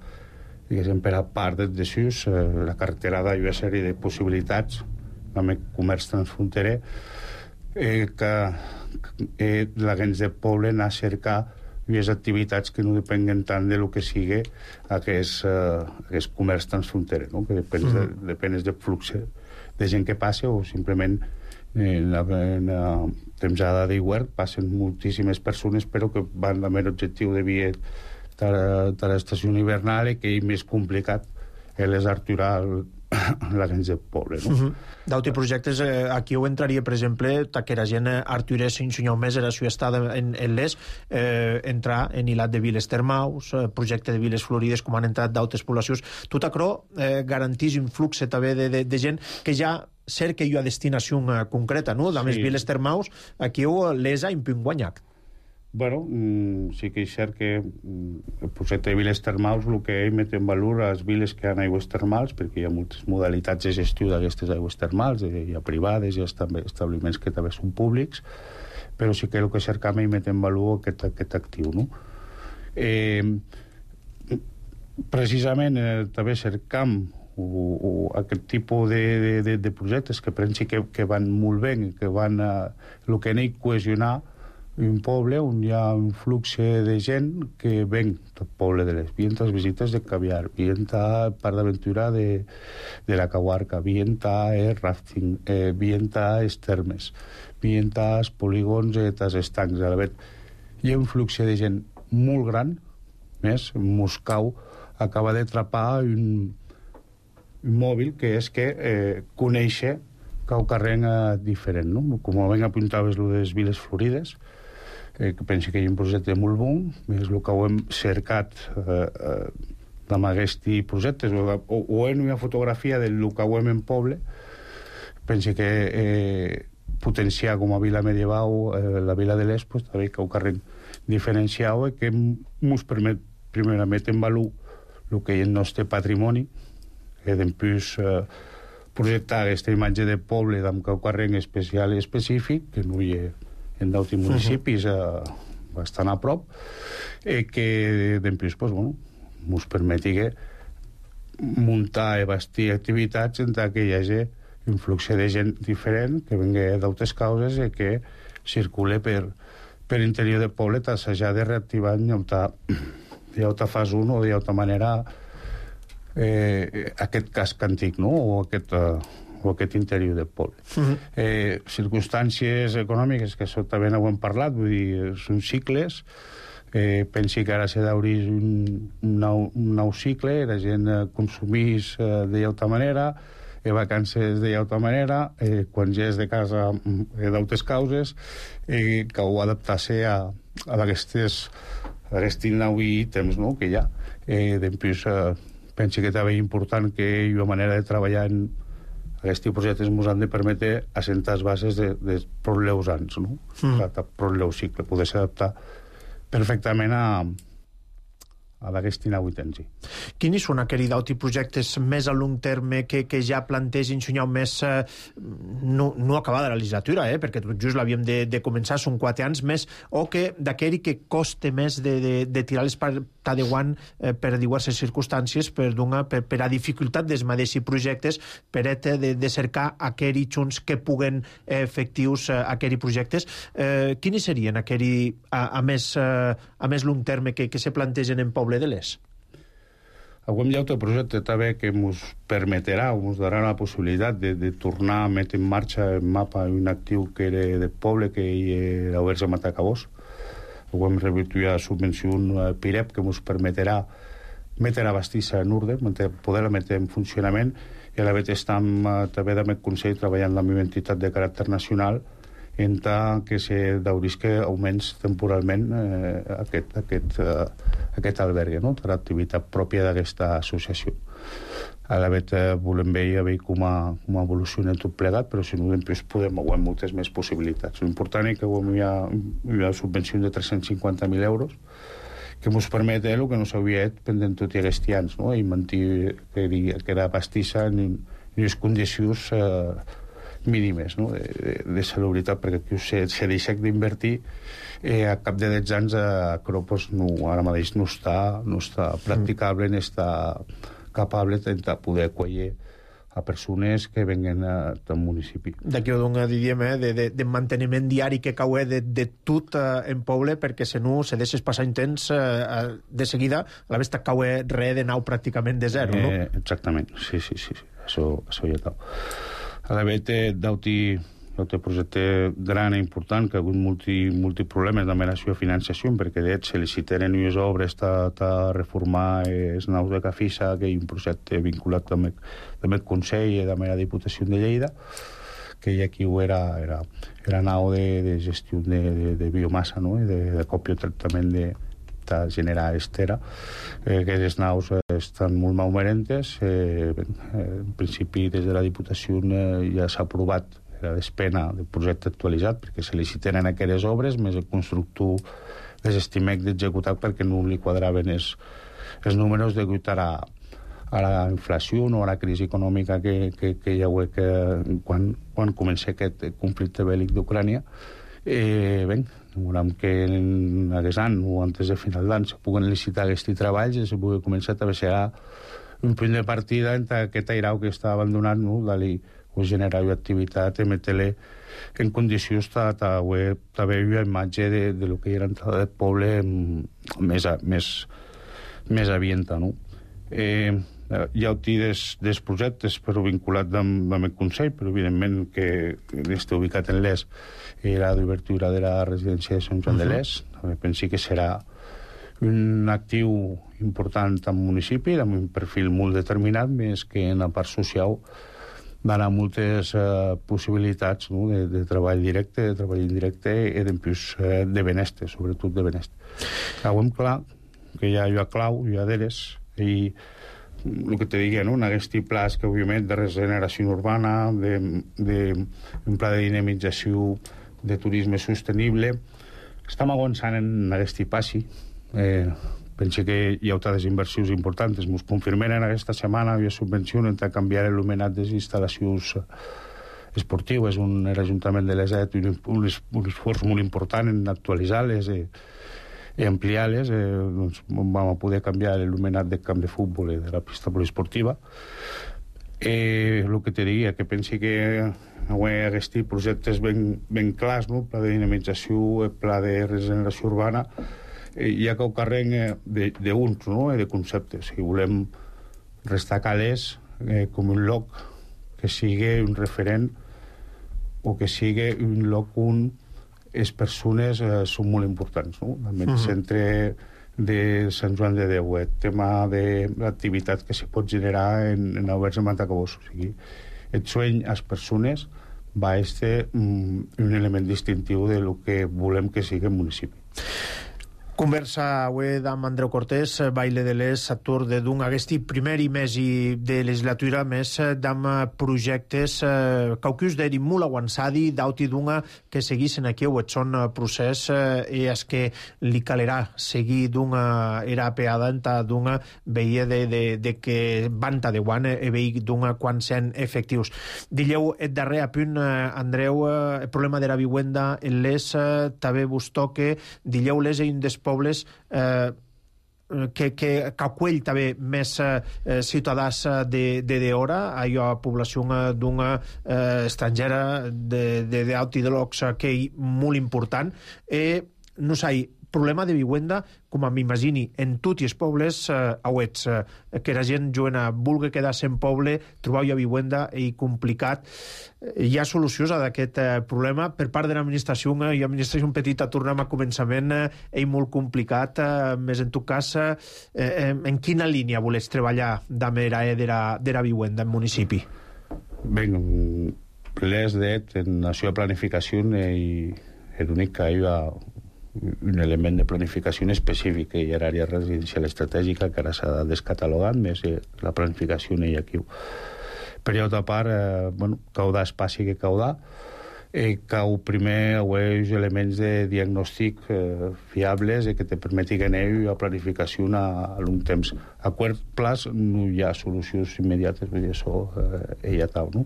diguéssim, per a part de Sus, la carretera ha una sèrie de possibilitats amb el comerç transfronterer que la gent del poble anar a cercar les activitats que no depenguen tant de lo que sigui aquest comerç transfronterer, no? Que depèn del flux de gent que passa, o simplement en la temporada d'hivern passen moltíssimes persones, però que van amb l'objectiu de via de l'estació hivernal i que és més complicat és aturar la gent del poble, no? D'autres projectes, aquí ho entraria, per exemple, que la gent arturés s'ensenyau més a la seva estada en l'Es, entrar en hilat de viles termaus, projecte de viles florides, com han entrat d'altres poblacions. Tot això garantís un flux també de gent que ja cerca una destinació concreta, no? A més, viles termaus, aquí l'Es ha impunt guanyat. Bueno, sí que és cert que el projecte de viles termals el que met en valor les viles que han aigües termals, perquè hi ha moltes modalitats de gestió d'aquestes aigües termals, hi ha privades, hi ha establiments que també són públics, però sí que el que cercam és met en valor aquest actiu, no? precisament també cercam aquest tipus de projectes que pensi que van molt bé, que van el que n'hi cohesionar un poble on hi ha un flux de gent que ven del poble de les vientas visites de Caviar, vienta part d'aventura de la Caguarca, vienta rafting, vienta termes, vienta polígons tas estancs. A la vegada hi ha un flux de gent molt gran, més Moscou acaba d'atrapar un mòbil que és que conèixer cau carrer diferent, no? Com ben apuntaves lo de les Viles Florides, que penso que hi ha un projecte molt bon, és el que ho hem cercat amb aquests projectes, o en una fotografia del que ho hem en poble, penso que potenciar com a vila medieval la vila de l'Est, pues, també cau carrer diferenciat que ens permet primerament en valor el que és el nostre patrimoni, que després projectar aquesta imatge de poble amb cau carrer especial i específic, que no hi ha en d'altres municipis bastant a prop, que després pues, ens permeti muntar i bastir activitats en què hi hagi un flux de gent diferent que vingui d'altres causes i que circule per interior del poble, t'assajar de reactivar d'alta fase 1 o d'alta manera aquest casc antic, no? o aquest interior del poble. Circumstàncies econòmiques, que això també ho hem parlat, vull dir, són cicles, pensi que ara s'ha d'obrir un nou cicle, la gent consumís d'alta manera, vacances d'alta manera, quan ja és de casa d'altres causes, que ho adaptar-se a aquests nous ítems que hi ha. Després, penso que també és important que hi ha una manera de treballar en aquests projectes ens han de permetre assentar les bases de problemes anys, no? Problemes cicle, poder s'adaptar perfectament a d'aquest nou temps. Quins són aquells projectes més a long terme que ja plantegin somiar més no acabada la legislatura, perquè tot just l'havíem de començar, són 4 anys més, o que d'aquell que coste més de tirar les parta de guant per diverses circumstàncies, per a dificultat dels mateixos projectes, per de cercar aquells junts que puguen efectius aquells projectes. Quins serien aquells a més long terme que se plantegen en poble de l'Est? Avui hi ha un projecte també que ens permetrà o ens darà la possibilitat de tornar a metre en marxa el mapa un actiu que era del poble, que era Oberts a Matacabós. Avui hem rebut una subvenció PIREP que ens permetrà metre a bastissa en ordre, poder-la metre en funcionament, i a la vegada estem també amb el Consell treballant amb una entitat de caràcter nacional en tant que se daurisca almenys temporalment aquest albergue, no? L'activitat pròpia d'aquesta associació. A la vegada volem veure com evoluciona tot plegat, però si no, després podem haver moltes més possibilitats. L'important és que hi ha una subvenció de 350.000 euros que ens permet el que no s'havia fet pendent tots aquests anys, no? I mantenir que era pastissa en unes condicions mínimes, no? de salubritat, perquè aquí se deixa d'invertir a cap de 10 anys Acròpolis ara mateix no està practicable ni està capable de poder acollir a persones que venguen del municipi. D'aquí ho dona, diríem, de manteniment diari que cau de tot en poble, perquè si no se deixes passar un temps de seguida, a la vegada cau res de nou pràcticament de zero, no? Exactament, sí. Això ja cau. A la vegada d'un projecte gran i important que ha hagut multiproblemes amb la seva financiació, perquè se licitaren unes obres a reformar els naus de Cafissa, que hi ha un projecte vinculat amb el Consell i amb la Diputació de Lleida, que aquí era nau de gestió de biomassa, no? I de còpia tractament de generar estera. Aquestes naus estan molt malmerentes. En principi, des de la Diputació ja s'ha aprovat la despena del projecte actualitzat, perquè se liciten aquelles obres, més el constructor desestimec d'executar perquè no li quadraven els números degut a la inflació o a la crisi econòmica que hi ha quan comença aquest conflicte bèl·lic d'Ucrània. Volem que en aquest any o antes de final d'any se puguen licitar aquests treballs i se pugui començar a ser un punt de partida entre aquest airau que està abandonat, no? D'allí generar activitat, emetre en condicions de veure imatge de lo que era entrada del poble més avienta, no? Hi ha dels projectes però vinculat amb el Consell, però evidentment que està ubicat en l'est era d'obertura de la residència de Sant Joan de l'Est. Penso que serà un actiu important al municipi, amb un perfil molt determinat, més que en la part social donarà moltes possibilitats, no? de treball directe, de treball indirecte i de benestar, sobretot de benestar. Sabem clar que hi ha clau, hi ha d'eres, i el que te digue, no? En aquest plans que, òbviament, de regeneració urbana, un pla de dinamització de turisme sostenible, estem avançant en aquest passi. Penso que hi ha altres inversions importants. Ens confirmen aquesta setmana hi ha subvenció per canviar l'il·luminat de les instal·lacions esportives. L'Ajuntament de l'Eset un esforç molt important en actualitzar-les i ampliar-les. Doncs vam poder canviar l'il·luminat del camp de futbol i de la pista poliesportiva. El que te diria, que pensi que aquests projectes ben clars, no? Pla de dinamització, pla de regeneració urbana, hi ha que ho carreguen d'uns, no? De conceptes. Si volem restar calés com un lloc que sigui un referent o que sigui un lloc on les persones són molt importants, no? El centre de Sant Joan de Déu, el tema de l'activitat que se pot generar en Oberts de Matacabós. O sigui, el sueño a les persones va ser un element distintiu de lo que volem que sigui el municipi. Conversa avui amb Andreu Cortés, baile de l'Es, actor de d'un aquest primer i més de legislatura, més d'am projectes caucus d'eri molt avançadi, d'auti d'una que seguissin aquí o et són procés i és que li calerà seguir d'una era apeada enta d'una veia de que van tadeuant e veig d'una quan sen efectius. Dilleu et darrer a punt, Andreu, el problema de la vivienda en l'Es també vos toque, dilleu l'Es un des pobles que acuell també més ciutadans de hora, allò a població d'una estrangera d'auti de llocs que és molt important. No sé, problema de vivienda, com m'imagini, en tots els pobles auets, que la gent jovena vulgui quedar-se en poble, trobar una vivienda i complicat. Hi ha solucions a aquest problema per part de l'administració, i l'administració petita, tornem a començament, és molt complicat, més en tot cas, en quina línia volets treballar de la vivienda en municipi? Bé, l'és d'et en la seva planificació i l'únic que hi ha un element de planificació específic, que hi ha l'àrea residencial estratègica que ara s'ha descatalogat, més la planificació no hi ha aquí. Per altra part, caudar espaci que caudar, cau primer uns elements de diagnòstic fiables que te permetin a planificació a long temps. A curt plaç no hi ha solucions immediates, vull dir, això ja tal, no?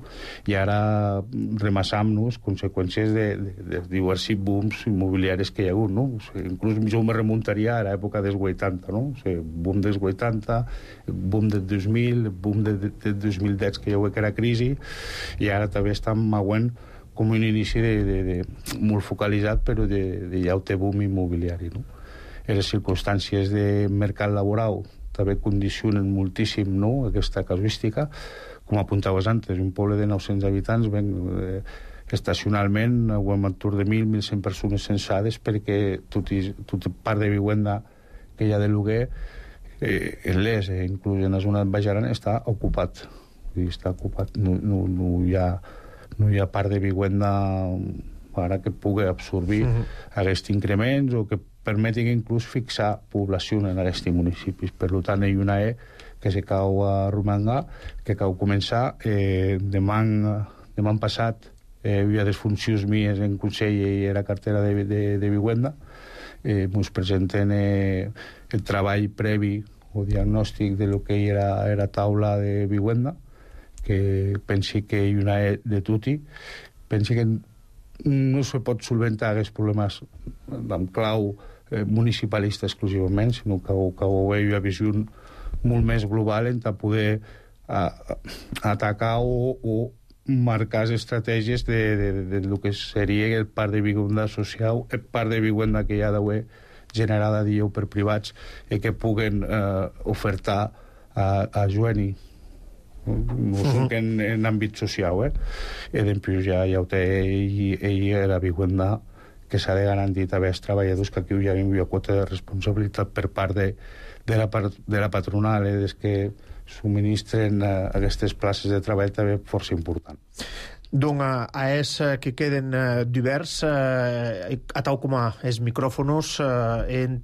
I ara remassam-nos conseqüències de diversos booms immobiliaris que hi ha hagut, no? Inclús jo me remuntaria a l'època dels 80, no? O sigui, boom dels 80, boom del 2000, boom del 2010, que ja ho que era crisi, i ara també estem auent com un inici molt focalitzat, però de llaute boom immobiliari, no? Les circumstàncies de mercat laboral també condicionen moltíssim, no?, aquesta casuística. Com apuntaves antes, un poble de 900 habitants, estacionalment ho hem entorn de 1.000-1.100 persones censades perquè tota part de vivenda que hi ha de lloguer en l'Es, inclús en la zona de Baix Aran, està ocupat. Està ocupat, no hi ha part de vivenda ara que pugui absorbir aquests increments o que permetin inclús fixar població en aquests municipis. Per tant, hi ha una que se cau a Romangà, que cau començar. Demà passat hi havia les funcions mies en Consell i era cartera de vivenda. Ens presenten el treball previ o diagnòstic de lo que era taula de vivenda, que pensi que hi ha una de tutti. Pensi que no se pot solventar aquests problemes amb clau municipalista exclusivament, sinó que ho veig a visió molt més global en poder atacar o marcar les estratègies de lo que seria el parc de vivenda social, el parc de vivenda que hi ha d'haver generada per privats i que puguen ofertar a Joani. No són en àmbit social, i després ja ho té ell la vivenda que s'ha de garantir també als treballadors, que aquí hi ha una quota de responsabilitat per part de la patronal, des que subministren aquestes places de treball també força important. Donc, que queden divers, atau com els micròfonos, en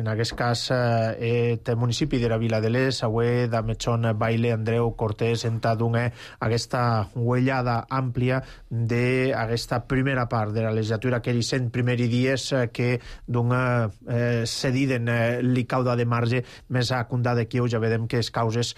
aquest cas, el municipi de la Vila de l'Es, avui de Metxon Baile, Andreu Cortés, en donar aquesta uellada àmplia d'aquesta primera part de la legislatura, que eren 100 primers dies que cediden li cauda de marge, més a comptar d'aquí ja vedem que les causes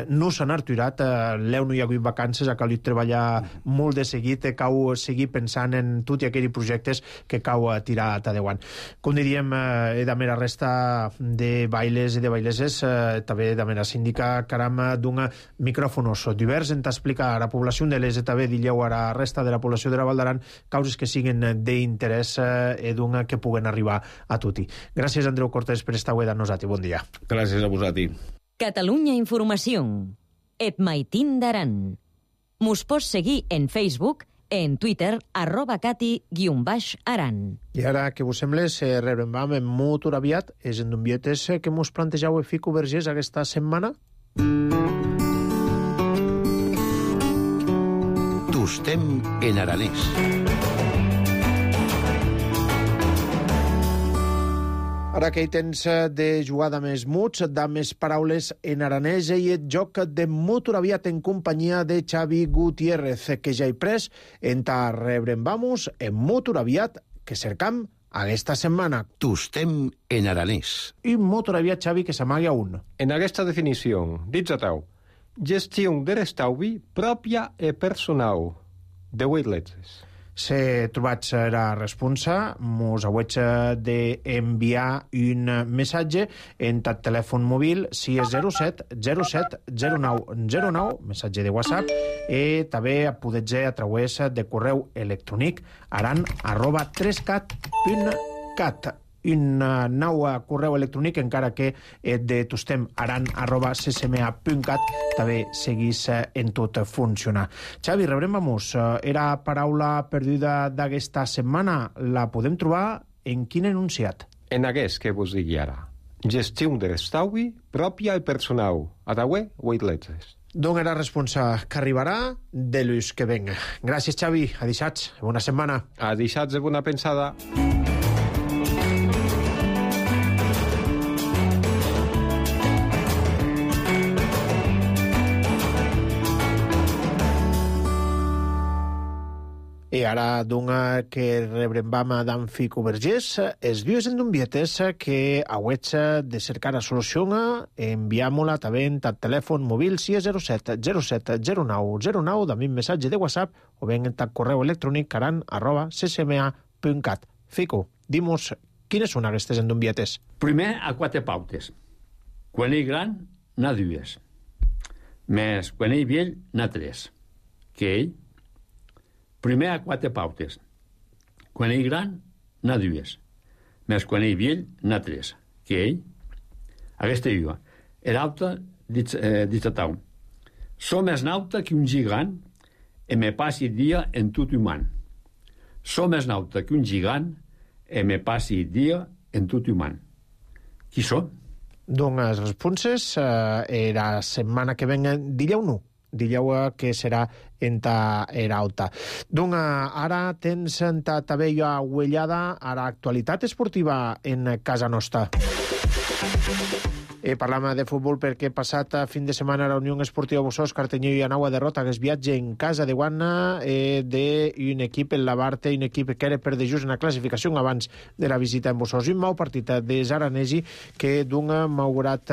no s'han arturat, l'eu no hi ha hagut vacances, ha calit treballar molt de seguit, cau seguir pensant en tots aquells projectes que cau tirar a endavant. Com diríem, de la resta de bailes i de baileses, també de la síndica, caram, d'un micròfonos divers, en t'explicar a la població de l'ES, també dilleu a la resta de la població de la Val d'Aran, causes que siguen d'interès i d'un que puguen arribar a tutti. Gràcies, Andreu Cortés, per estar avui amb nosaltres. Bon dia. Gràcies a vosaltres. Catalunya Informació. Et Maitín d'Aran. Mos pots seguir en Facebook, en Twitter, @cati_aran. I ara, que vos sembla, rebrem amb molt aviat és en d'umbietes que mos plantejau a Fico Vergés aquesta setmana? Tostem en aranès. Ara que hi tens de jugar de més muts, de més paraules en aranès, i el joc de molt aviat en companyia de Xavi Gutiérrez, que ja hi pres, en ta rebrem vamos en molt aviat que cercam aquesta setmana. Tostem en aranès. I molt aviat, Xavi, que s'amagui a un. En aquesta definició, dits a tau, gestió de l'estalvi pròpia i personal de 8 lletres. Se trobat la responsa, mos hauig d'enviar un missatge en el telèfon mòbil 607 07 09 09, missatge de WhatsApp, i també podeu a través de correu electrònic aran@3cat.cat. Un nou correu electrònic, encara que de tostem aran@ccma.cat també seguís en tot funcionar. Xavi, rebrem vamos. Era paraula perduda d'aquesta setmana. La podem trobar en quin enunciat? En aquest que vos digui ara. Gestió de l'estalvi pròpia i personal. A tauer, 8 lletres. D'on era responsa que arribarà de l'ús que venga. Gràcies, Xavi. A dissats. Bona setmana. A dissats de bona pensada. I ara, d'una que rebrem d'en Fico Vergés, els dius en d'umbietes que hauig de cercar la solució, enviam-la també en el telèfon mòbil 607 07 09 09, també un missatge de WhatsApp o ben en el correu electrònic caran@ccma.cat. Fico, dimos, quines són aquestes en d'umbietes? Primer, a 4 pautes. Quan ell gran, n'ha 2. Més quan ell vell, n'ha 3. Que ell? Primer a 4 pautes. Quan ell gran, n'ha 2. Més quan ell vell, n'ha 3. Que ell? Aquesta diu. L'altre, dit a tau. Som més nauta que un gigant i me passi dia en tot humà. Som més nauta que un gigant i me passi dia en tot humà. Qui són? Doncs les responses la setmana que venga, dilleu-no. Dilleu que serà en ta era alta. Donc, ara tens en ta tabella uellada a l'actualitat esportiva en casa nostra. Parlam de futbol perquè passat fin de setmana la Unió Esportiva Bossós Cartanyeu i Anau a derrota que es viatge en casa de Guana d'un equip en la Barte, un equip que era per de just en la classificació abans de la visita en Bossós. Un mau partit de Zaranesi que d'un malgrat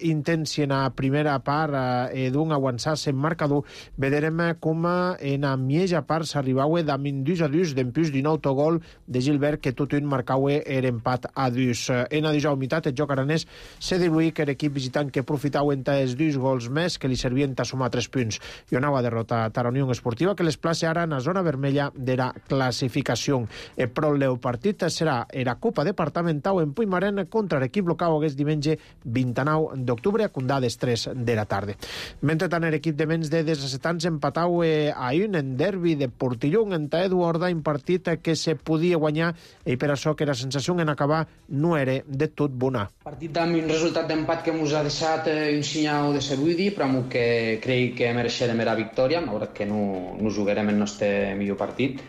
intensi en la primera part d'un avançar-se en marcador, veurem com en la mitja part s'arribava amb 2-2 d'empús d'un autogol de Gilbert que tot un marcava empat a 2. En la 19a meitat el joc aranès se diluïa que l'equip visitant que aprofitava entre els 2 gols més que li servien a sumar 3 punts. I anava a derrotar a la Unió Esportiva que les plaça ara en la zona vermella de la classificació. Però el partit serà la Copa Departamental en Puigmarén contra l'equip local aquest diumenge 29 d'octubre a Condades 3 de la tarda. Mentre tant, l'equip de menys de 17 anys empatau a un en derbi de Portillón entre Eduarda, un partit que se podia guanyar i per això que la sensació en acabar no era de tot bona. Partit amb un resultat d'empat que ens ha deixat un senyal de sabudi, però que crec que mereixerem la victòria, malgrat que no jugarem el nostre millor partit.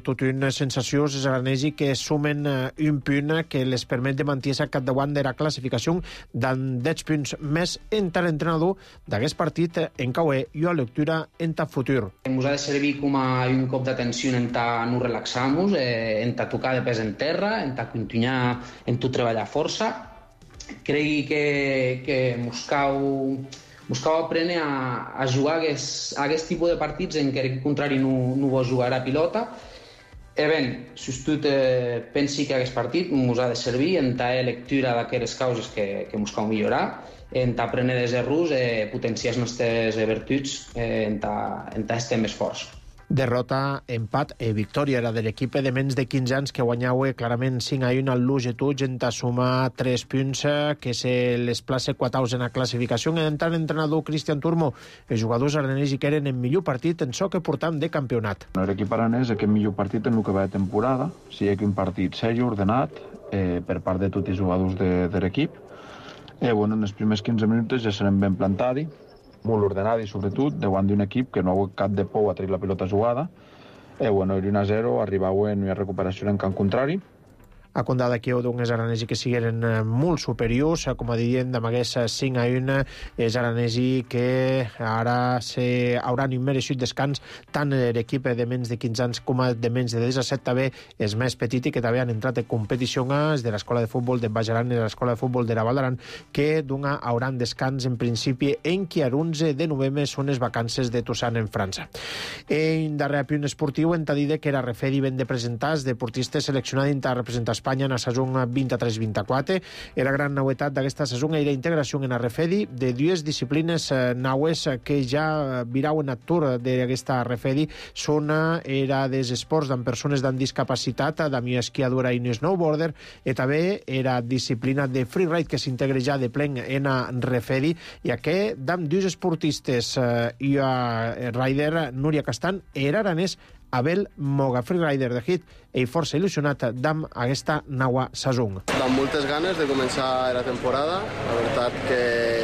Tot una sensació és aranesi que sumen un punt que les permet de mantenir-se al capdavant de la classificació d'en 10 punts més entre l'entrenador d'aquest partit en cauer i a lectura en ta futur. Ens ha de servir com a un cop d'atenció en ta no relaxar-nos, en ta tocar de pes en terra, en ta continuar en tu treballar força. Crec que mos cal aprendre a jugar a aquest tipus de partits en què el contrari no vol jugar a pilota. Si tu pensi que aquest partit ens ha de servir en ta lectura d'aquestes causes que ens cal millorar, en ta aprendre dels errors, potenciar les nostres virtuts, en ta estar més forts. Derrota, empat i victòria era de l'equip de menys de 15 anys que guanyava clarament 5-1 al Luge Tuig en sumar 3 punts que se les place 4 en la classificació. En tant, entrenador Cristian Turmo, els jugadors aranesi que eren en millor partit en so que portam de campionat. L'equip aranès aquest millor partit en el que va de temporada, sigui que un partit seri, ordenat, per part de tots els jugadors de l'equip. En els primers 15 minuts ja serem ben plantadi, molt ordenat i sobretot davant d'un equip que no ha hagut cap de por a treure la pilota jugada. Era 1-0, arribava en una recuperació en camp contrari. A Condada que d'uns aranesi que sigueren molt superiors, com a dient, d'amagués 5-1, és aranesi que ara hauran un mereixut descans tant l'equip de menys de 15 anys com de menys de 17 també és més petit i que també han entrat en competició de l'escola de futbol de Bajaran i l'escola de futbol de la Val d'Aran que hauran descans en principi en que a l'11 de novembre són les vacances de Toussaint en França. En darrer punt esportiu hem de dir que era referi ben de presentar els deportistes seleccionats a representar Espanya en la saison 23-24. La gran novetat d'aquesta saison era la integració en la refedi de dues disciplines naues que ja virauen a tour d'aquesta refedi. Són era dels esports amb persones amb discapacitat, amb esquiadora i snowboarder, i també era disciplina de freeride que s'integra ja de plen en la refedi, i aquest d'amb dos esportistes i a rider Núria Castan era aranès Abel Moga, freerider de hit, i força il·lusionat d'amb aquesta nova saison. Amb moltes ganes de començar la temporada. La veritat que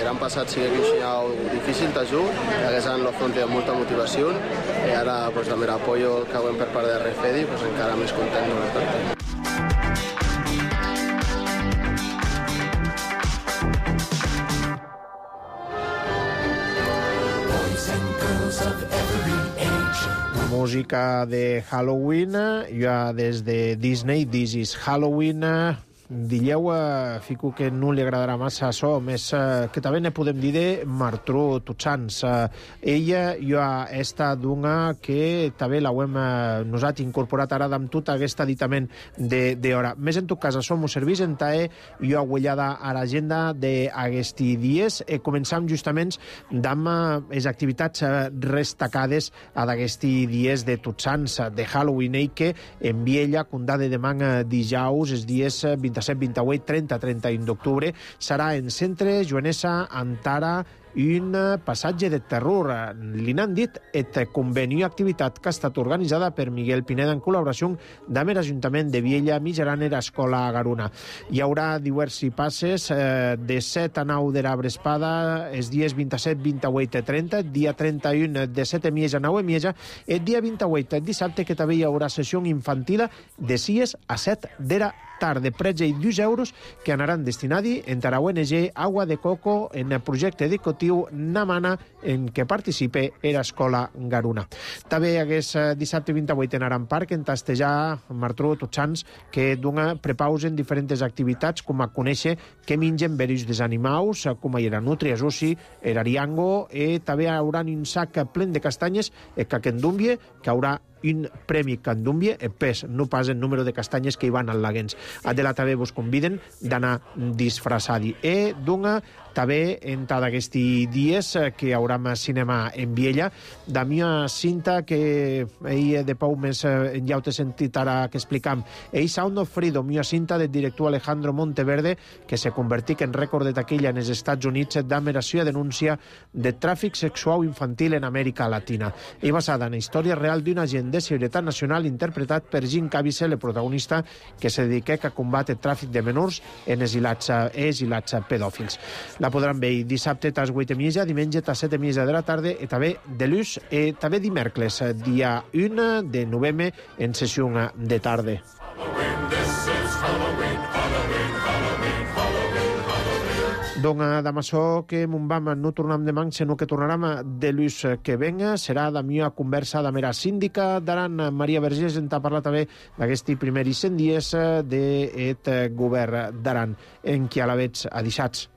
l'any passat sí que un senyal difícil t'ajut, aquest any l'afronti amb molta motivació, i ara amb l'apoyo que haguem per part de Refedi encara més content, la veritat. Música de Halloween, ja des de Disney, This is Halloween. Dilleu, fico que no li agradarà massa això, més que també ne podem dir de Martró Tutsans. Ella ja està d'una que també l'hem nosaltres incorporat ara amb tot aquest aditament d'hora. Més en tot cas, això m'ho serveix en tae jo aguellada a l'agenda d'aquesti dies. Començam justament amb les activitats destacades d'aquesti dies de Tutsans, de Halloween, que en Viella, Condada de Manga, dijous, els dies 27, 28, 30, 31 d'octubre, serà en Centre Joanessa Antara un passatge de terror. Li n'han dit et conveni activitat que ha estat organitzada per Miguel Pineda en col·laboració amb l'Ajuntament de Viella, Mijaran i l'Escola Garuna. Hi haurà diversos passes de 7 a 9 de l'Arbre Espada els dies 27, 28 i 30, dia 31 de 7 a Mieja a 9 a Mieja, el dia 28 dissabte que també hi haurà sessió infantil de 6 a 7 de la tarde, prets i 2 euros que anaran destinats a la ONG Agua de Coco en el projecte educatiu Namana en què participa l'Escola Garuna. També hagués dissabte 28 en Aran Parc en tastejar Martru Totxans que dona prepausen diferents activitats com a conèixer què mengen veris dels animals, com era nutria, sushi, era ariango, i també hi haurà un sac ple de castanyes que Candumbie, que haurà un premi Candumbie, pes, no pas el número de castanyes que hi van al Laguens. Adela també vos conviden d'anar disfressadi. I dona també en cada aquests dies que hi haurà cinema en Viella. Damià Cinta, que ell de Pau més ja ho t'he sentit ara que explicam. Ell Sound of Freedom, Mia Cinta del director Alejandro Monteverde, que se convertit en rècord de taquilla en els Estats Units d'ameració i denúncia de tràfic sexual infantil en Amèrica Latina. I basada en la història real d'un agent de seguretat nacional interpretat per Jim Caviezel, el protagonista que se dedica a combatre el tràfic de menors en exilats pedòfils. La podran veure dissabte a les 8:30, diumenge a les 7:30 de la tarda i també de l'ús i també dimecres, dia 1 de novembre en sessió de tarda. Dona d'amassó que Montbam no tornam demà, sinó que tornarem de l'ús que venga. Serà la meva conversa de mera síndica d'Aran, Maria Vergés, en parlar també d'aquests primers 100 dies del govern d'Aran, en qui a la veig adixats.